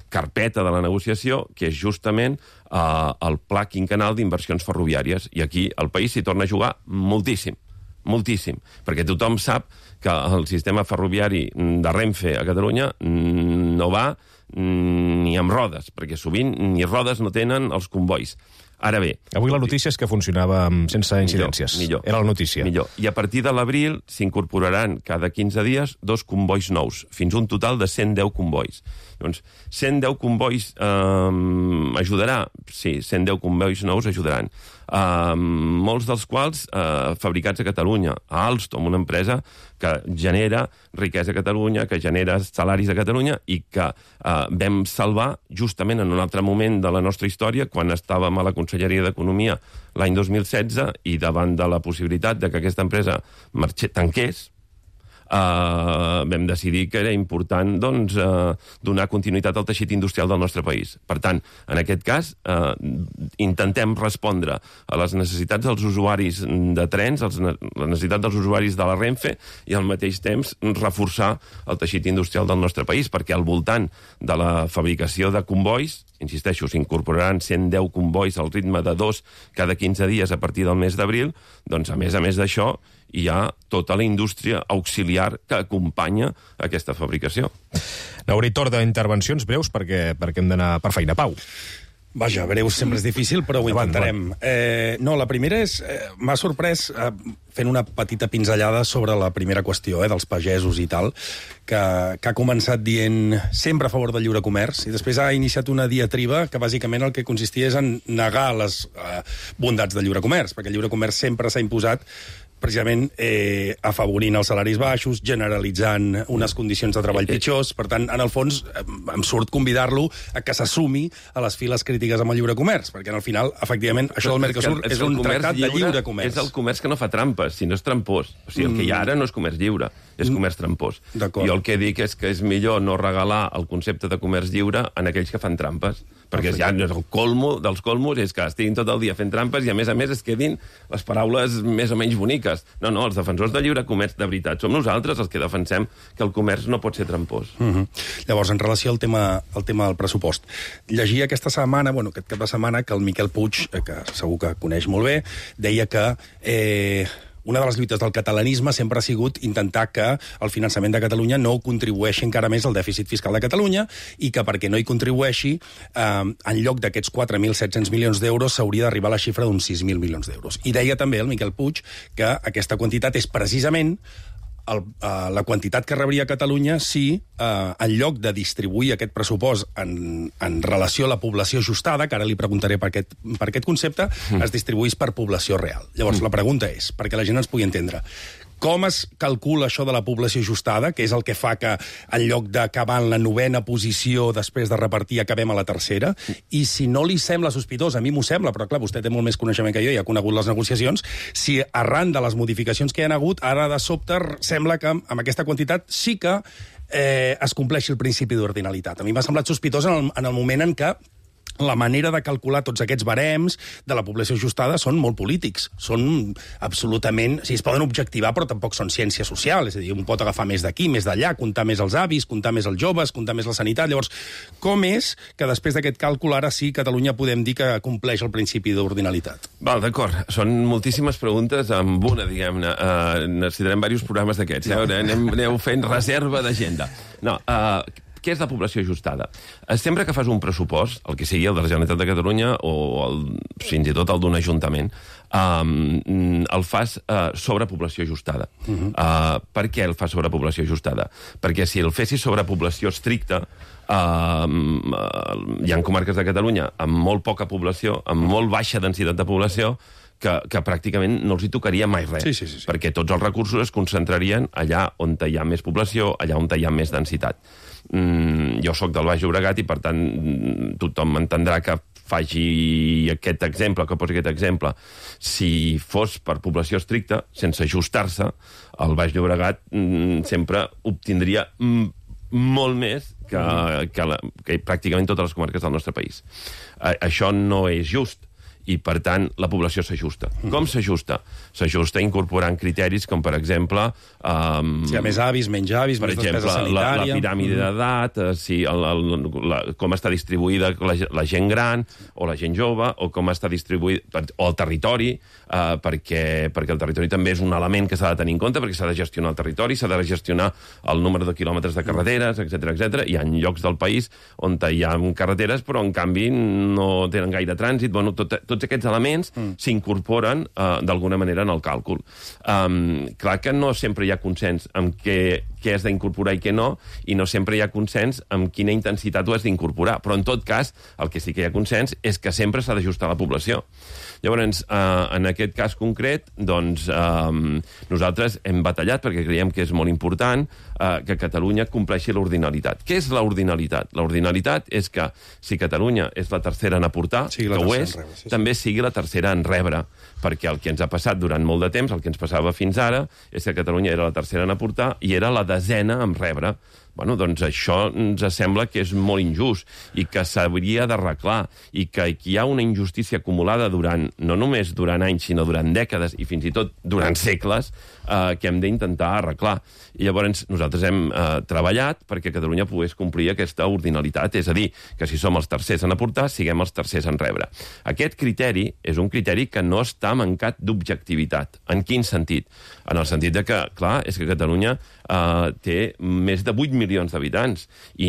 carpeta de la negociació que és justament el Pla Quinquennal d'Inversions Ferroviàries. I aquí el país s'hi torna a jugar moltíssim, perquè tothom sap que el sistema ferroviari de Renfe a Catalunya no va ni amb rodes, perquè sovint ni rodes no tenen els convois. Ara bé... Avui la notícia és que funcionava sense incidències. Millor. Era la notícia. Millor. I a partir de l'abril s'incorporaran cada 15 dies 2 convois nous, fins a un total de 110 convois. Doncs 110 convois ajudarà? Sí, 110 convois nous ajudaran. Molts dels quals fabricats a Catalunya. A Alstom, una empresa que genera riquesa a Catalunya, que genera salaris a Catalunya i que vam salvar justament en un altre moment de la nostra història, quan estàvem a la Conselleria d'Economia l'any 2016 i davant de la possibilitat de que aquesta empresa tanqués, vam decidir que era important donar continuïtat al teixit industrial del nostre país. Per tant, en aquest cas, intentem respondre a les necessitats dels usuaris de trens, a les necessitats dels usuaris de la Renfe, i al mateix temps reforçar el teixit industrial del nostre país, perquè al voltant de la fabricació de combois, insisteixo, s'incorporaran 110 combois al ritme de 2 cada 15 dies a partir del mes d'abril, doncs a més d'això hi ha tota la indústria auxiliar que acompanya aquesta fabricació. N'hauré torn d'intervencions breus perquè hem d'anar per feina. Pau. Vaja, breus sempre és difícil, però ho intentarem. No, la primera és... M'ha sorprès fent una petita pinzellada sobre la primera qüestió dels pagesos i tal, que ha començat dient sempre a favor del lliure comerç, i després ha iniciat una diatriba que bàsicament el que consistia és en negar les bondats del lliure comerç, perquè el lliure comerç sempre s'ha imposat precisament afavorint els salaris baixos, generalitzant unes condicions de treball pitjors. Per tant, en el fons, em surt convidar-lo a que s'assumi a les files crítiques amb el lliure comerç, perquè al final, efectivament, això del Mercosur és un tractat de lliure comerç. És el comerç que no fa trampes, si no és trampós. O sigui, el que hi ha ara no és comerç lliure, és comerç trampós. Jo el que dic és que és millor no regalar el concepte de comerç lliure en aquells que fan trampes, perquè ja el colmo dels colmos és que estiguin tot el dia fent trampes i, a més, es quedin les paraules més o menys boniques. No, els defensors del lliure comerç de veritat som nosaltres els que defensem que el comerç no pot ser trampós. Llavors, en relació al tema del pressupost, llegia aquesta setmana, aquest cap de setmana, que el Miquel Puig, que segur que coneix molt bé, deia que una de les lluites del catalanisme sempre ha sigut intentar que el finançament de Catalunya no contribueixi encara més al dèficit fiscal de Catalunya i que perquè no hi contribueixi, en lloc d'aquests 4.700 milions d'euros s'hauria d'arribar a la xifra d'uns 6.000 milions d'euros. I deia també el Miquel Puig que aquesta quantitat és precisament la quantitat que rebria Catalunya si, en lloc de distribuir aquest pressupost en relació a la població ajustada, que ara li preguntaré per aquest concepte, es distribuís per població real. Llavors, la pregunta és, perquè la gent ens pugui entendre, com es calcula això de la població ajustada, que és el que fa que en lloc d'acabar en la 9ª posició després de repartir acabem a la 3ª? I si no li sembla sospitós, a mi m'ho sembla, però clar, vostè té molt més coneixement que jo i ha conegut les negociacions, si arran de les modificacions que hi ha hagut, ara de sobte sembla que amb aquesta quantitat sí que es compleixi el principi d'ordinalitat. A mi m'ha semblat sospitós en el moment en què la manera de calcular tots aquests barems de la població ajustada són molt polítics. Són absolutament... es poden objectivar, però tampoc són ciència social. És a dir, un pot agafar més d'aquí, més d'allà, comptar més els avis, comptar més els joves, comptar més la sanitat. Llavors, com és que després d'aquest càlcul ara sí Catalunya podem dir que compleix el principi d'ordinalitat? D'acord. Són moltíssimes preguntes amb una, diguem-ne. Necessitarem diversos programes d'aquests. Aneu fent reserva d'agenda. No, què és la població ajustada? Sempre que fas un pressupost, el que sigui el de la Generalitat de Catalunya o fins i tot el d'un ajuntament, el fas sobre població ajustada. Per què el fas sobre població ajustada? Perquè si el fessis sobre població estricta, hi ha comarques de Catalunya amb molt poca població, amb molt baixa densitat de població, que pràcticament no els hi tocaria mai res, perquè tots els recursos es concentrarien allà on hi ha més població, allà on hi ha més densitat. Jo sóc del Baix Llobregat i, per tant, tothom m'entendrà que faci aquest exemple, que posi aquest exemple. Si fos per població estricta, sense ajustar-se, el Baix Llobregat sempre obtindria molt més que pràcticament totes les comarques del nostre país. Això no és just. I, per tant, la població s'ajusta. Com s'ajusta? S'ajusta incorporant criteris com, per exemple... si hi ha més avis, menys avis, més despesa sanitària... la piràmide d'edat, com està distribuïda la gent gran o la gent jove, o com està distribuït... o el territori, perquè el territori també és un element que s'ha de tenir en compte, perquè s'ha de gestionar el territori, s'ha de gestionar el número de quilòmetres de carreteres, etc. Hi ha llocs del país on hi ha carreteres, però, en canvi, no tenen gaire trànsit. Bueno, tots aquests elements s'incorporen d'alguna manera en el càlcul. Clar que no sempre hi ha consens amb què has d'incorporar i què no, i no sempre hi ha consens amb quina intensitat ho has d'incorporar. Però, en tot cas, el que sí que hi ha consens és que sempre s'ha d'ajustar la població. Llavors, en aquest cas concret, doncs, nosaltres hem batallat perquè creiem que és molt important que Catalunya compleixi l'ordinalitat. Què és l'ordinalitat? L'ordinalitat és que si Catalunya és la tercera en aportar, que ho és, també sigui la tercera en rebre, perquè el que ens ha passat durant molt de temps, el que ens passava fins ara, és que Catalunya era la tercera en aportar i era la desena en rebre. Bueno, doncs això ens sembla que és molt injust i que s'hauria d'arreglar i que hi ha una injustícia acumulada no només durant anys, sinó durant dècades i fins i tot durant segles que hem d'intentar arreglar. I llavors nosaltres hem treballat perquè Catalunya pogués complir aquesta ordinalitat, és a dir, que si som els tercers en aportar, siguem els tercers en rebre. Aquest criteri és un criteri que no està mancat d'objectivitat. En quin sentit? En el sentit de que, clar, és que Catalunya té més de 8 milions d'habitants i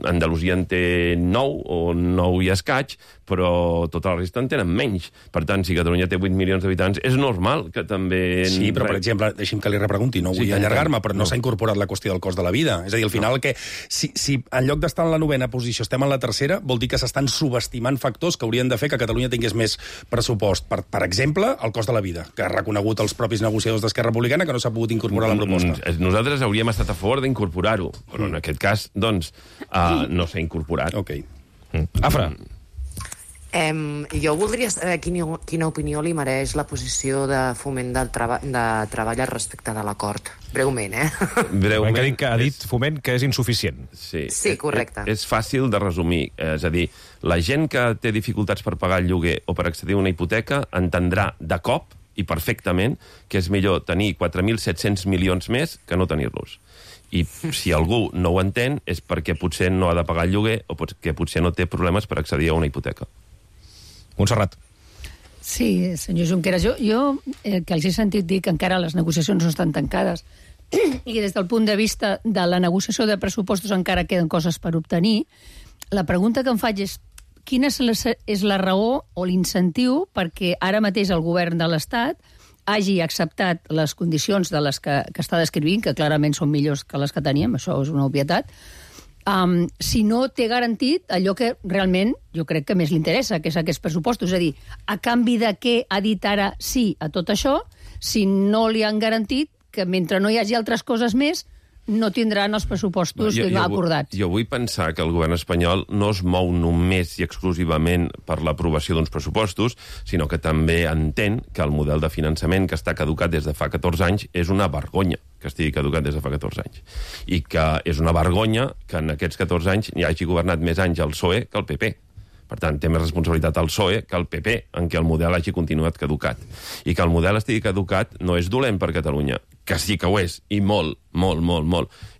Andalusia en té 9 o 9 i escaig, però tota la resta en tenen menys. Per tant, si Catalunya té 8 milions d'habitants, és normal que també... Sí, però, per exemple, deixi'm que li repregunti, no vull allargar-me, però no s'ha incorporat la qüestió del cost de la vida. És a dir, al final, que si en lloc d'estar en la 9ª posició estem en la 3ª, vol dir que s'estan subestimant factors que haurien de fer que Catalunya tingués més pressupost. Per exemple, el cost de la vida, que ha reconegut els propis negociadors d'Esquerra Republicana que no s'ha pogut incorporar a la proposta. Nosaltres hauríem estat a favor d'incorporar-ho, però en aquest cas, doncs, no s'ha incorporat. Ok. Afra. Jo voldria saber quina opinió li mereix la posició de Foment de Treball respecte de l'acord. Breument, Breument. Ha dit Foment que és insuficient. Sí, correcte. És fàcil de resumir. És a dir, la gent que té dificultats per pagar el lloguer o per accedir a una hipoteca entendrà de cop i perfectament que és millor tenir 4.700 milions més que no tenir-los. I si algú no ho entén és perquè potser no ha de pagar el lloguer o perquè potser no té problemes per accedir a una hipoteca. Montserrat. Sí, senyor Junqueras, jo que els he sentit dir que encara les negociacions no estan tancades i des del punt de vista de la negociació de pressupostos encara queden coses per obtenir, la pregunta que em faig és quina és la raó o l'incentiu perquè ara mateix el govern de l'Estat hagi acceptat les condicions de les que està descrivint, que clarament són millors que les que teníem, això és una obvietat, si no té garantit allò que realment jo crec que més li interessa, que és aquests pressupostos. És a dir, a canvi de què ha dit ara sí a tot això, si no li han garantit que mentre no hi hagi altres coses més, no tindran els pressupostos que no ha acordat. Jo vull pensar que el govern espanyol no es mou només i exclusivament per l'aprovació d'uns pressupostos, sinó que també entén que el model de finançament que està caducat des de fa 14 anys és una vergonya que estigui caducat des de fa 14 anys. I que és una vergonya que en aquests 14 anys hi hagi governat més anys el PSOE que el PP. Per tant, té més responsabilitat el PSOE que el PP en què el model hagi continuat caducat. I que el model estigui caducat no és dolent per Catalunya, que sí que ho és, i molt.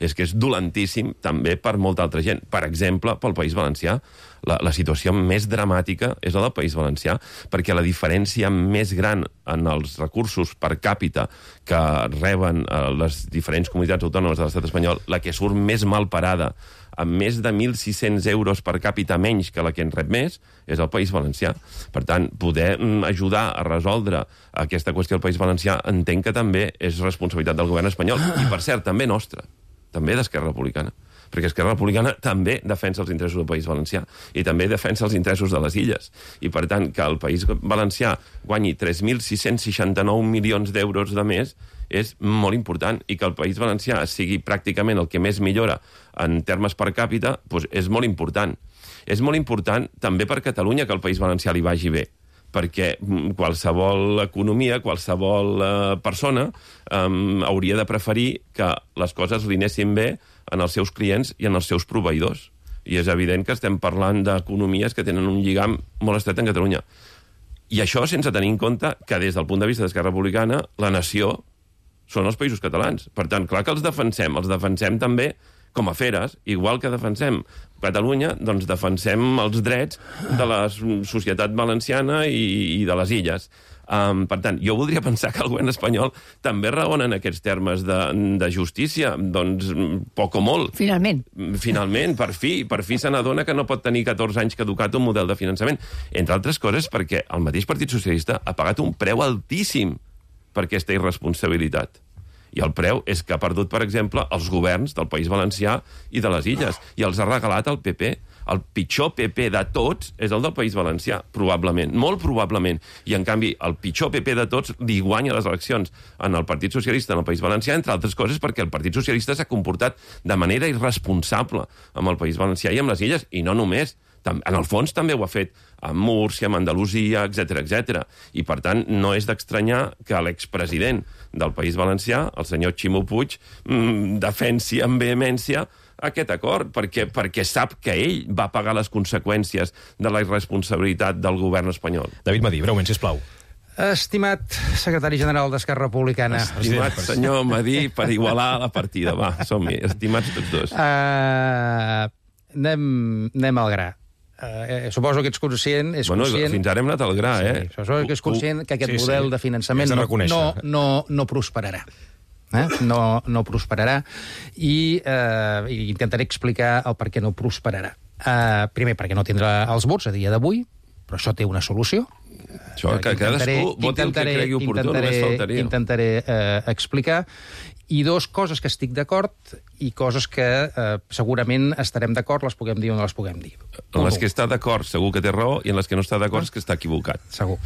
És que és dolentíssim també per molta altra gent. Per exemple, pel País Valencià. La situació més dramàtica és la del País Valencià, perquè la diferència més gran en els recursos per càpita que reben les diferents comunitats autònomes de l'estat espanyol, la que surt més mal parada, amb més de 1.600 euros per càpita menys que la que en rep més, és el País Valencià. Per tant, poder ajudar a resoldre aquesta qüestió del País Valencià entenc que també és responsabilitat del govern espanyol, i per cert, també nostra, també d'Esquerra Republicana, perquè Esquerra Republicana també defensa els interessos del País Valencià i també defensa els interessos de les illes. I, per tant, que el País Valencià guanyi 3.669 milions d'euros de més és molt important, i que el País Valencià sigui pràcticament el que més millora en termes per càpita, doncs és molt important. És molt important també per Catalunya que el País Valencià li vagi bé, perquè qualsevol economia, qualsevol persona hauria de preferir que les coses li anessin bé en els seus clients i en els seus proveïdors. I és evident que estem parlant d'economies que tenen un lligam molt estret en Catalunya. I això sense tenir en compte que des del punt de vista d'Esquerra Republicana la nació són els països catalans. Per tant, clar que els defensem també com a feres, igual que defensem Catalunya, doncs defensem els drets de la societat valenciana i de les illes. Per tant, jo voldria pensar que el govern espanyol també raona en aquests termes de justícia, doncs poc o molt. Finalment, per fi se n'adona que no pot tenir 14 anys caducat un model de finançament. Entre altres coses perquè el mateix Partit Socialista ha pagat un preu altíssim per aquesta irresponsabilitat. I el preu és que ha perdut, per exemple, els governs del País Valencià i de les Illes, i els ha regalat al PP. el pitjor PP de tots és el del País Valencià, probablement, molt probablement. I, en canvi, el pitjor PP de tots li guanya les eleccions en el Partit Socialista en el País Valencià, entre altres coses perquè el Partit Socialista s'ha comportat de manera irresponsable amb el País Valencià i amb les Illes, i no només. En el fons també ho ha fet amb Múrcia, amb Andalusia, etc. I, per tant, no és d'estranyar que l'expresident del País Valencià, el senyor Ximo Puig, defensi amb vehemència aquest acord, perquè sap que ell va pagar les conseqüències de la irresponsabilitat del govern espanyol. David Madí, breument, sisplau. Estimat secretari general d'Esquerra Republicana. Estimat senyor Madí, per igualar la partida. Va, som-hi, estimats tots dos. Anem al gra. Suposo que ets conscient... Fins ara hem anat al gra, Sí, suposo que és conscient que aquest model de finançament no prosperarà. No prosperarà i intentaré explicar el per què no prosperarà. Primer, perquè no tindrà els vots a dia d'avui, però això té una solució. Això, que cadascú voti el que cregui oportú, només faltaria. Intentaré explicar. I dos coses que estic d'acord i coses que segurament estarem d'acord, les puguem dir o no les puguem dir. En les que està d'acord segur que té raó i en les que no està d'acord és que està equivocat. Segur.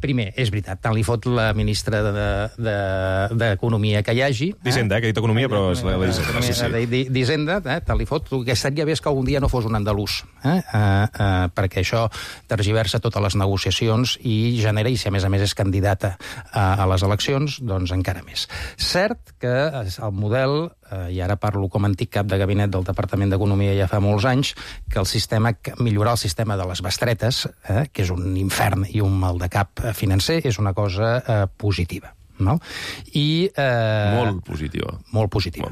Primer, és veritat, tant li fot la ministra d'Economia que hi hagi... D'Hisenda, que ha dit Economia, però és la d'Hisenda. D'Hisenda, tant li fot, que estaria bé que algun dia no fos un andalús, perquè això tergiversa totes les negociacions i genera, i si a més és candidata a les eleccions, doncs encara més. Cert que el model, i ara parlo com a antic cap de gabinet del Departament d'Economia ja fa molts anys, que millorar el sistema de les bestretes, que és un infern i un mal de cap financer, és una cosa positiva. No? Molt positiva. Molt positiva,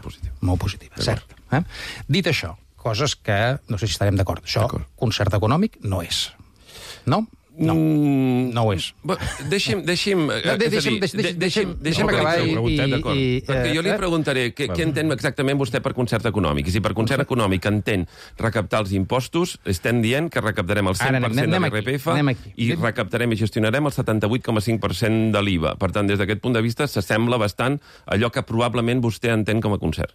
cert. Dit això, coses que no sé si estarem d'acord. Això, concert econòmic, no és. No? No ho és. Deixi'm acabar perquè jo li preguntaré què entén exactament vostè per concert econòmic. I si per concert econòmic entén recaptar els impostos, estem dient que recaptarem el 100% de l'IRPF i recaptarem i gestionarem el 78,5% de l'IVA. Per tant, des d'aquest punt de vista, s'assembla bastant a allò que probablement vostè entén com a concert.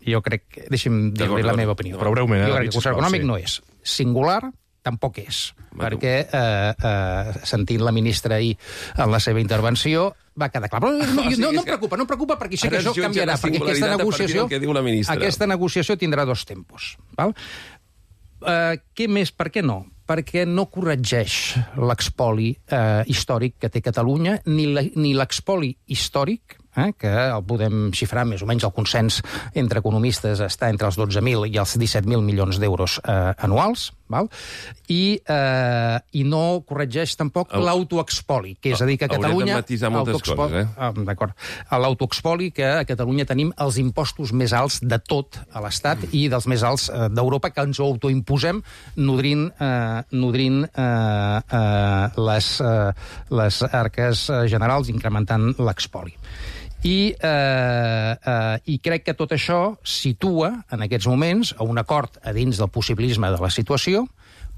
Jo crec... Deixi'm dir-li la meva opinió. Però breument. Jo crec que el concert econòmic no és. Singular tampoc és, perquè sentint la ministra ahir en la seva intervenció va quedar clar. Però no em preocupa perquè sé que això canviarà, perquè aquesta negociació tindrà dos tempos. Què més? Per què no? Perquè no corregeix l'expoli històric que té Catalunya, ni l'expoli històric, que el podem xifrar més o menys, el consens entre economistes està entre els 12.000 i els 17.000 milions d'euros anuals, i no corregeix tampoc l'autoexpoli, que és a dir que a Catalunya... Haurem de matisar moltes coses, D'acord. L'autoexpoli, que a Catalunya tenim els impostos més alts de tot a l'Estat i dels més alts d'Europa, que ens autoimposem nodrint les arques generals, incrementant l'expoli. I crec que tot això situa, en aquests moments, a un acord a dins del possibilisme de la situació,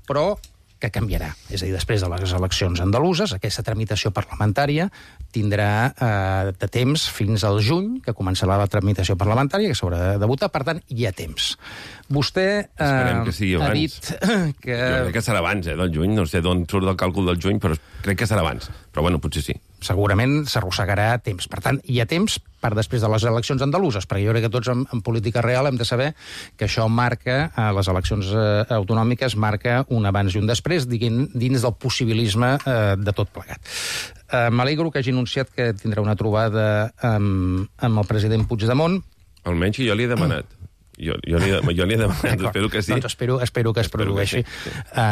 però que canviarà. És a dir, després de les eleccions andaluses, aquesta tramitació parlamentària tindrà de temps fins al juny, que començarà la tramitació parlamentària, que s'haurà de votar, per tant, hi ha temps. Vostè esperem que sigui abans. Ha dit que... Jo crec que serà abans, del juny, no sé d'on surt el càlcul del juny, però crec que serà abans. Però bueno, potser sí. Segurament s'arrossegarà temps. Per tant, hi ha temps per després de les eleccions andaluses, perquè jo crec que tots en política real hem de saber que això marca, les eleccions autonòmiques, marca un abans i un després, dins del possibilisme de tot plegat. M'alegro que hagi anunciat que tindrà una trobada amb el president Puigdemont. Almenys jo li he demanat. Jo li he demanat, espero que sí. Doncs espero que es produeixi.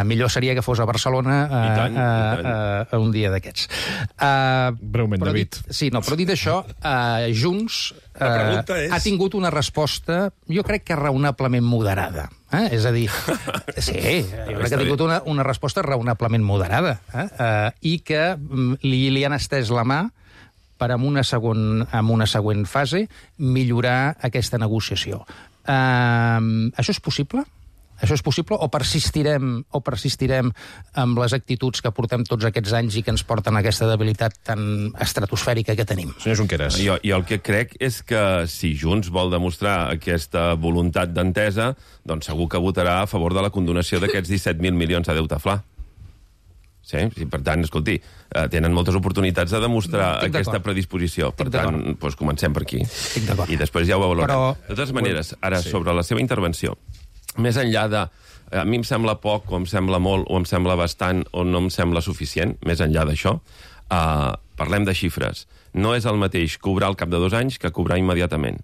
Millor seria que fos a Barcelona un dia d'aquests. Breument, David. Però dit això, Junts ha tingut una resposta, jo crec que raonablement moderada. És a dir, sí, jo crec que ha tingut una resposta raonablement moderada i que li han estès la mà per en una següent fase millorar aquesta negociació. Això és possible? Això és possible o persistirem amb les actituds que portem tots aquests anys i que ens porten a aquesta debilitat tan estratosfèrica que tenim? Senyor Junqueras. Jo el que crec és que si Junts vol demostrar aquesta voluntat d'entesa, doncs segur que votarà a favor de la condonació d'aquests 17.000 milions de deute fla. Sí? Per tant, escolti, tenen moltes oportunitats de demostrar aquesta predisposició. Per tant, doncs comencem per aquí. I després ja ho valorem. De totes maneres, ara, sobre la seva intervenció, més enllà de... A mi em sembla poc, o em sembla molt, o em sembla bastant, o no em sembla suficient, més enllà d'això, parlem de xifres. No és el mateix cobrar al cap de 2 anys que cobrar immediatament.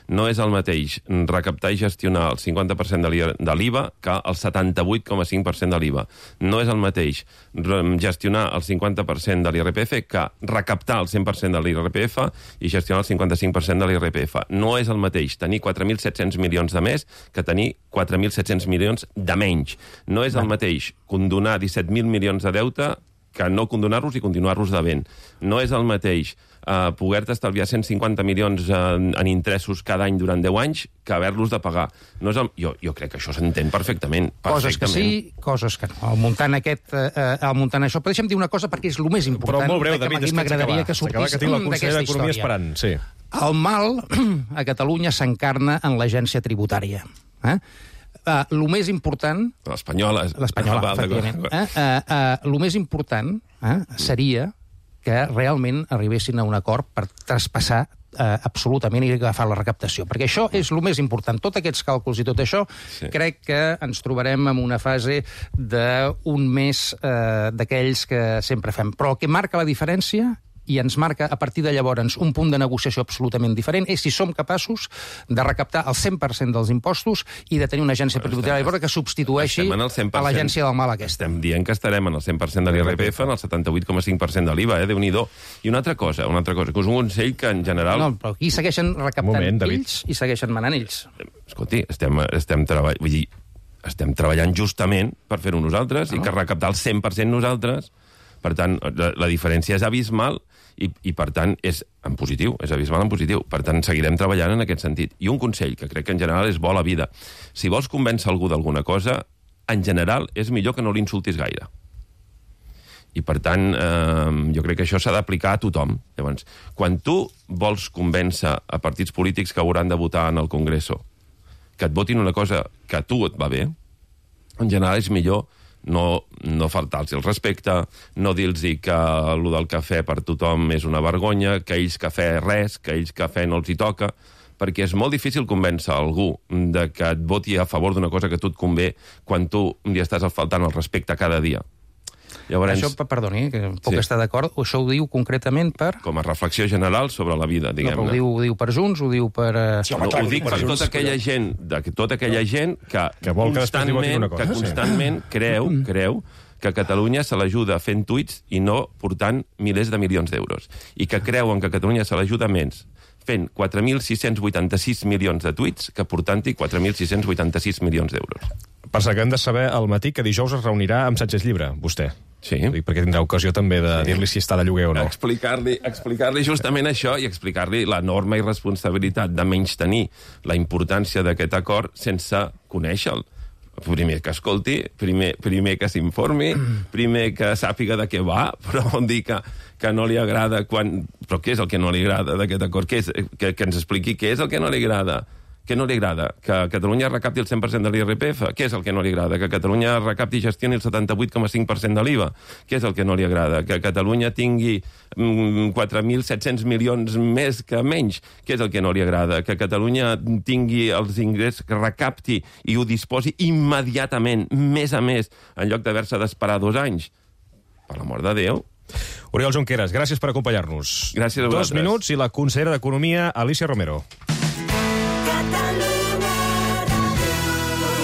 No és el mateix recaptar i gestionar el 50% de l'IVA que el 78,5% de l'IVA. No és el mateix gestionar el 50% de l'IRPF que recaptar el 100% de l'IRPF i gestionar el 55% de l'IRPF. No és el mateix tenir 4.700 milions de més que tenir 4.700 milions de menys. No és el mateix condonar 17.000 milions de deute que no condonar-los i continuar-los devent. No és el mateix poder-te estalviar 150 milions en interessos cada any durant 10 anys que haver-los de pagar. No és jo crec que això s'entén perfectament. Coses que sí, coses que no. Al muntant això, però deixa'm dir una cosa perquè és el més important. Però molt breu, David, m'agradaria que sortís que tinc la consellera d'Economia esperant. Sí. El mal a Catalunya s'encarna en l'agència tributària. El més important... L'espanyola, efectivament. El més important seria que realment arribessin a un acord per traspassar absolutament i agafar la recaptació. Perquè això és el més important. Tots aquests càlculs i tot això, crec que ens trobarem en una fase d'un mes d'aquells que sempre fem. Però el que marca la diferència i ens marca a partir de llavors un punt de negociació absolutament diferent és si som capaços de recaptar el 100% dels impostos i de tenir una agència tributària que substitueixi a l'agència del mal aquesta. Estem dient que estarem en el 100% de l'IRPF, en el 78,5% de l'IVA, Déu-n'hi-do. I una altra cosa, que és un consell que en general... No, però aquí segueixen recaptant ells i segueixen manant ells. Escolti, estem treballant justament per fer-ho nosaltres i que recaptar el 100% nosaltres. Per tant, la diferència és abismal i per tant, és en positiu, és abismal en positiu. Per tant, seguirem treballant en aquest sentit. I un consell, que crec que en general és bo a la vida. Si vols convèncer algú d'alguna cosa, en general és millor que no l'insultis gaire. I per tant, jo crec que això s'ha d'aplicar a tothom. Llavors, quan tu vols convèncer a partits polítics que hauran de votar en el Congreso que et votin una cosa que a tu et va bé, en general és millor no faltar-los el respecte, no dir-los que el del cafè per tothom és una vergonya, que ells cafè res, que ells cafè no els hi toca, perquè és molt difícil convèncer algú de que et voti a favor d'una cosa que a tu et convé quan tu li estàs faltant el respecte cada dia. Llavors, això, perdoni, que puc estar d'acord, això ho diu concretament per... Com a reflexió general sobre la vida, diguem-ne. No, ho diu per Junts, ho diu per... Ho dic per tota aquella gent que constantment creu que Catalunya se l'ajuda fent tuits i no portant milers de milions d'euros. I que creuen que Catalunya se l'ajuda menys fent 4.686 milions de tuits que portant-hi 4.686 milions d'euros. Per cert, que hem de saber al matí que dijous es reunirà amb Sánchez Llibre, vostè. Sí. Perquè tindrà ocasió també de dir-li si està de lloguer o no. Explicar-li justament això i explicar-li l'enorme irresponsabilitat de menystenir la importància d'aquest acord sense conèixer-lo. Primer que escolti, primer que s'informi, primer que sàpiga de què va, però dir que no li agrada quan... Però què és el que no li agrada d'aquest acord? Que ens expliqui què és el que no li agrada. Què no li agrada? Que Catalunya recapti el 100% de l'IRPF? Què és el que no li agrada? Que Catalunya recapti i gestioni el 78,5% de l'IVA? Què és el que no li agrada? Que Catalunya tingui 4.700 milions més que menys? Què és el que no li agrada? Que Catalunya tingui els ingressos, que recapti i ho disposi immediatament, més a més, en lloc d'haver-se d'esperar 2 anys? Per l'amor de Déu. Oriol Junqueras, gràcies per acompanyar-nos. Gràcies a vosaltres. 2 minuts i la consellera d'Economia, Alícia Romero.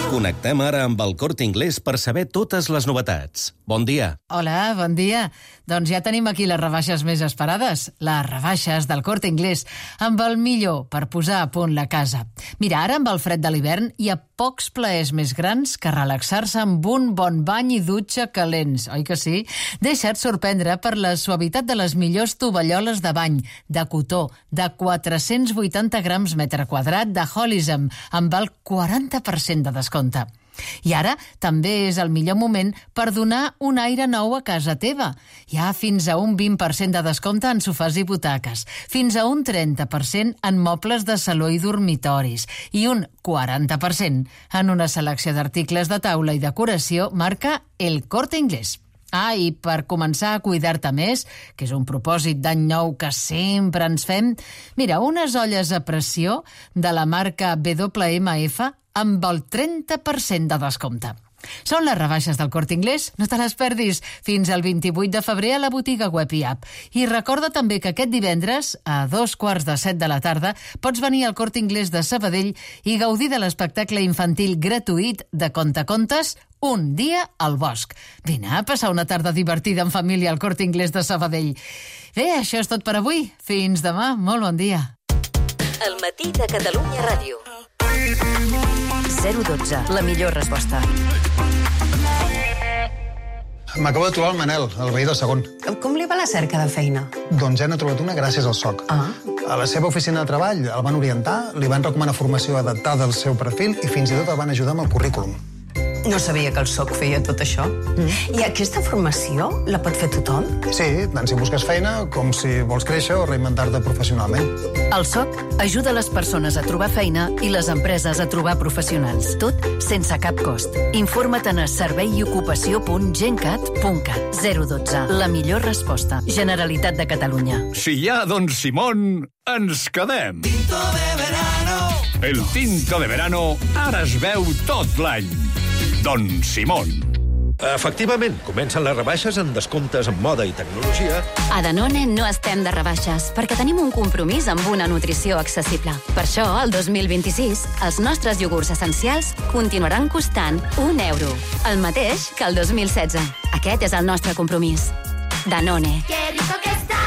Connectem ara amb el Corte Inglés per saber totes les novetats. Bon dia. Hola, bon dia. Doncs ja tenim aquí les rebaixes més esperades, les rebaixes del Corte Inglés, amb el millor per posar a punt la casa. Mira, ara amb el fred de l'hivern hi ha pocs plaers més grans que relaxar-se amb un bon bany i dutxa calents, oi que sí? Deixa't sorprendre per la suavitat de les millors tovalloles de bany, de cotó, de 480 grams metre quadrat de Holism, amb el 40% de descompte. I ara també és el millor moment per donar un aire nou a casa teva. Hi ha fins a un 20% de descompte en sofàs i butaques, fins a un 30% en mobles de saló i dormitoris i un 40% en una selecció d'articles de taula i decoració marca El Corte Inglés. I per començar a cuidar-te més, que és un propòsit d'any nou que sempre ens fem, mira, unes olles a pressió de la marca WMF amb el 30% de descompte. Són les rebaixes del Corte Inglés, no te les perdis, fins al 28 de febrer a la botiga web i app. I recorda també que aquest divendres, a 6:45 de la tarda, pots venir al Corte Inglés de Sabadell i gaudir de l'espectacle infantil gratuït de Contacontes Un dia al bosc. Vine a passar una tarda divertida en família al Corte Inglés de Sabadell. Bé, això és tot per avui. Fins demà, molt bon dia. El matí de Catalunya Ràdio. 012, la millor resposta. M'acabo de trobar el Manel, el veí del segon. Com li va la cerca de feina? Doncs ja n'ha trobat una gràcies al SOC. A la seva oficina de treball el van orientar, li van recomanar formació adaptada al seu perfil i fins i tot el van ajudar amb el currículum. No sabia que el SOC feia tot això. I aquesta formació la pot fer tothom? Sí, tant si busques feina com si vols créixer o reinventar-te professionalment. El SOC ajuda les persones a trobar feina i les empreses a trobar professionals. Tot sense cap cost. Informa't a serveiocupació.gencat.cat. 012. La millor resposta. Generalitat de Catalunya. Si hi ha Don Simón, ens quedem. Tinto de verano. El tinto de verano ara es veu tot l'any. Don Simón. Efectivament, comencen les rebaixes en descomptes en moda i tecnologia. A Danone no estem de rebaixes, perquè tenim un compromís amb una nutrició accessible. Per això, el 2026, els nostres iogurts essencials continuaran costant €1, el mateix que el 2016. Aquest és el nostre compromís. Danone. Que rico que està!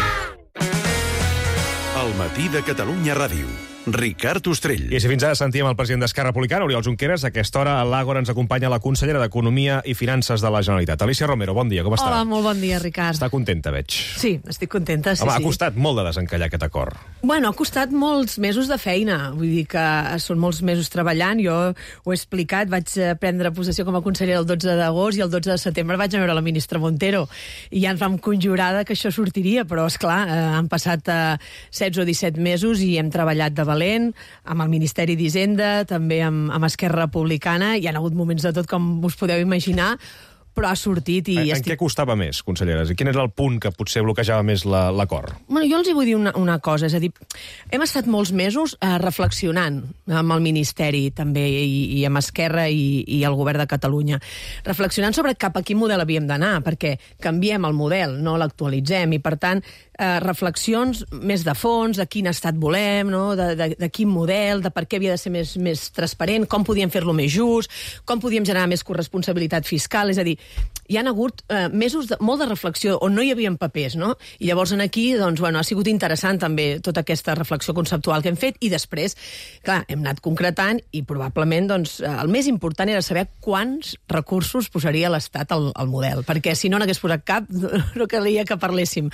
El matí de Catalunya Ràdio. Ricard Ostrell. I si fins ara sentíem el president d'Esquerra Republicana, Oriol Junqueras, a aquesta hora a l'Àgora ens acompanya la consellera d'Economia i Finances de la Generalitat. Alicia Romero, bon dia, com està? Hola, molt bon dia, Ricard. Està contenta, veig. Sí, estic contenta, sí. Home, ha costat molt de desencallar aquest acord. Bueno, ha costat molts mesos de feina, vull dir que són molts mesos treballant. Jo ho he explicat, vaig prendre possessió com a consellera el 12 d'agost i el 12 de setembre vaig a veure la ministra Montero i ja ens vam conjurar que això sortiria, però esclar, han passat 16 o 17 mesos i hem treballat de valent, amb el Ministeri d'Hisenda, també amb Esquerra Republicana. Hi ha hagut moments de tot, com us podeu imaginar, però ha sortit i... En què costava més, conselleres? I quin era el punt que potser bloquejava més l'acord? Bueno, jo els hi vull dir una cosa, és a dir, hem estat molts mesos reflexionant amb el Ministeri també i amb Esquerra i el Govern de Catalunya, reflexionant sobre cap a quin model havíem d'anar, perquè canviem el model, no l'actualitzem, i per tant reflexions més de fons, de quin estat volem, no? de quin model, de per què havia de ser més transparent, com podíem fer-lo més just, com podíem generar més corresponsabilitat fiscal, és a dir, hi han hagut mesos molt de reflexió on no hi havia papers, no? I llavors aquí, doncs, bueno, ha sigut interessant també tota aquesta reflexió conceptual que hem fet i després, clar, hem anat concretant i probablement, doncs, el més important era saber quants recursos posaria l'Estat al model, perquè si no n'hagués posat cap, no calia que parléssim.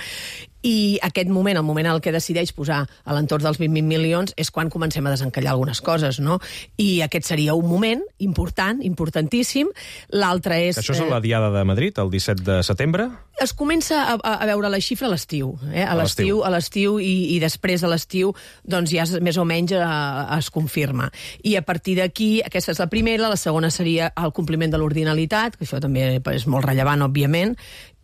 I aquest moment, el moment en el que decideix posar a l'entorn dels 20.000 milions, és quan comencem a desencallar algunes coses, no? I aquest seria un moment important, importantíssim. L'altre és... Això és la Diada de Madrid, el 17 de setembre? Es comença a veure la xifra a l'estiu. A l'estiu i després de l'estiu doncs ja més o menys es confirma. I a partir d'aquí, aquesta és la primera, la segona seria el compliment de l'ordinalitat, que això també és molt rellevant, òbviament,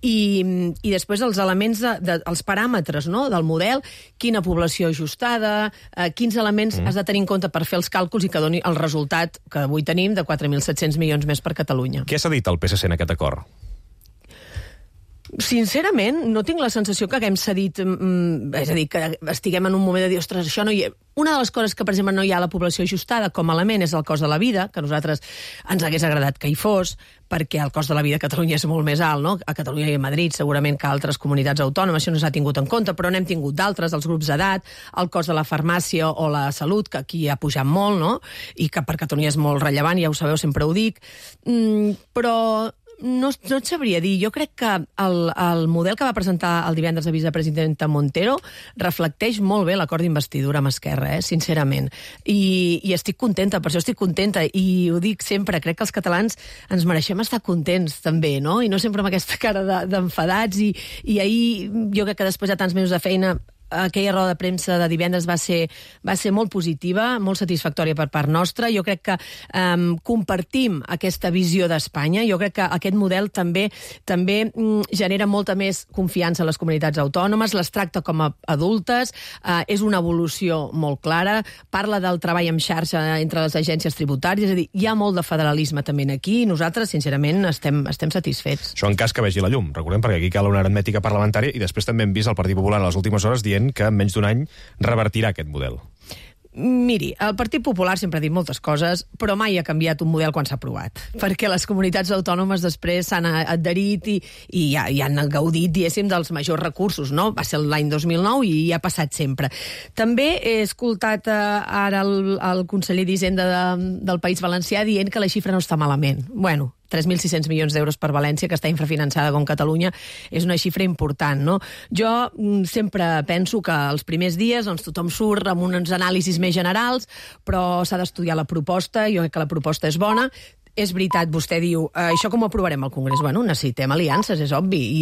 i després els elements, els paràmetres, no?, del model, quina població ajustada, quins elements has de tenir en compte per fer els càlculs i que doni el resultat que avui tenim de 4.700 milions més per Catalunya. Què s'ha dit al PSC en aquest acord? Sincerament, no tinc la sensació que haguem cedit, és a dir, que estiguem en un moment de dir, ostres, això no hi ha... Una de les coses que, per exemple, no hi ha a la població ajustada com a element és el cost de la vida, que a nosaltres ens hagués agradat que hi fos, perquè el cost de la vida a Catalunya és molt més alt, no? A Catalunya i a Madrid, segurament que a altres comunitats autònomes això no s'ha tingut en compte, però n'hem tingut d'altres, els grups d'edat, el cost de la farmàcia o la salut, que aquí ha pujat molt, no? I que per Catalunya és molt rellevant, ja ho sabeu, sempre ho dic. Però no et sabria dir. Jo crec que el model que va presentar el divendres la vicepresidenta Montero reflecteix molt bé l'acord d'investidura amb Esquerra, sincerament. I estic contenta, per això estic contenta. I ho dic sempre, crec que els catalans ens mereixem estar contents, també, no? I no sempre amb aquesta cara d'enfadats. I ahir, jo crec que després de tants mesos de feina, aquella roda de premsa de divendres va ser molt positiva, molt satisfactòria per part nostra. Jo crec que compartim aquesta visió d'Espanya. Jo crec que aquest model també genera molta més confiança en les comunitats autònomes, les tracta com a adultes, és una evolució molt clara, parla del treball en xarxa entre les agències tributàries, és a dir, hi ha molt de federalisme també aquí i nosaltres, sincerament, estem satisfets. Això en cas que vegi la llum, recordem, perquè aquí cal una aritmètica parlamentària i després també hem vist el Partit Popular a les últimes hores dient que en menys d'un any revertirà aquest model. Miri, el Partit Popular sempre ha dit moltes coses, però mai ha canviat un model quan s'ha aprovat, perquè les comunitats autònomes després s'han adherit i han gaudit, diguéssim, dels majors recursos, no? Va ser l'any 2009 i ha passat sempre. També he escoltat ara el conseller d'Hisenda del País Valencià dient que la xifra no està malament. Bueno, 3.600 milions d'euros per València, que està infrafinançada com Catalunya, és una xifra important, no? Jo sempre penso que els primers dies tothom surt amb uns anàlisis més generals, però s'ha d'estudiar la proposta, jo crec que la proposta és bona. És veritat, vostè diu, això com ho aprovarem al Congrés? Bueno, necessitem aliances, és obvi,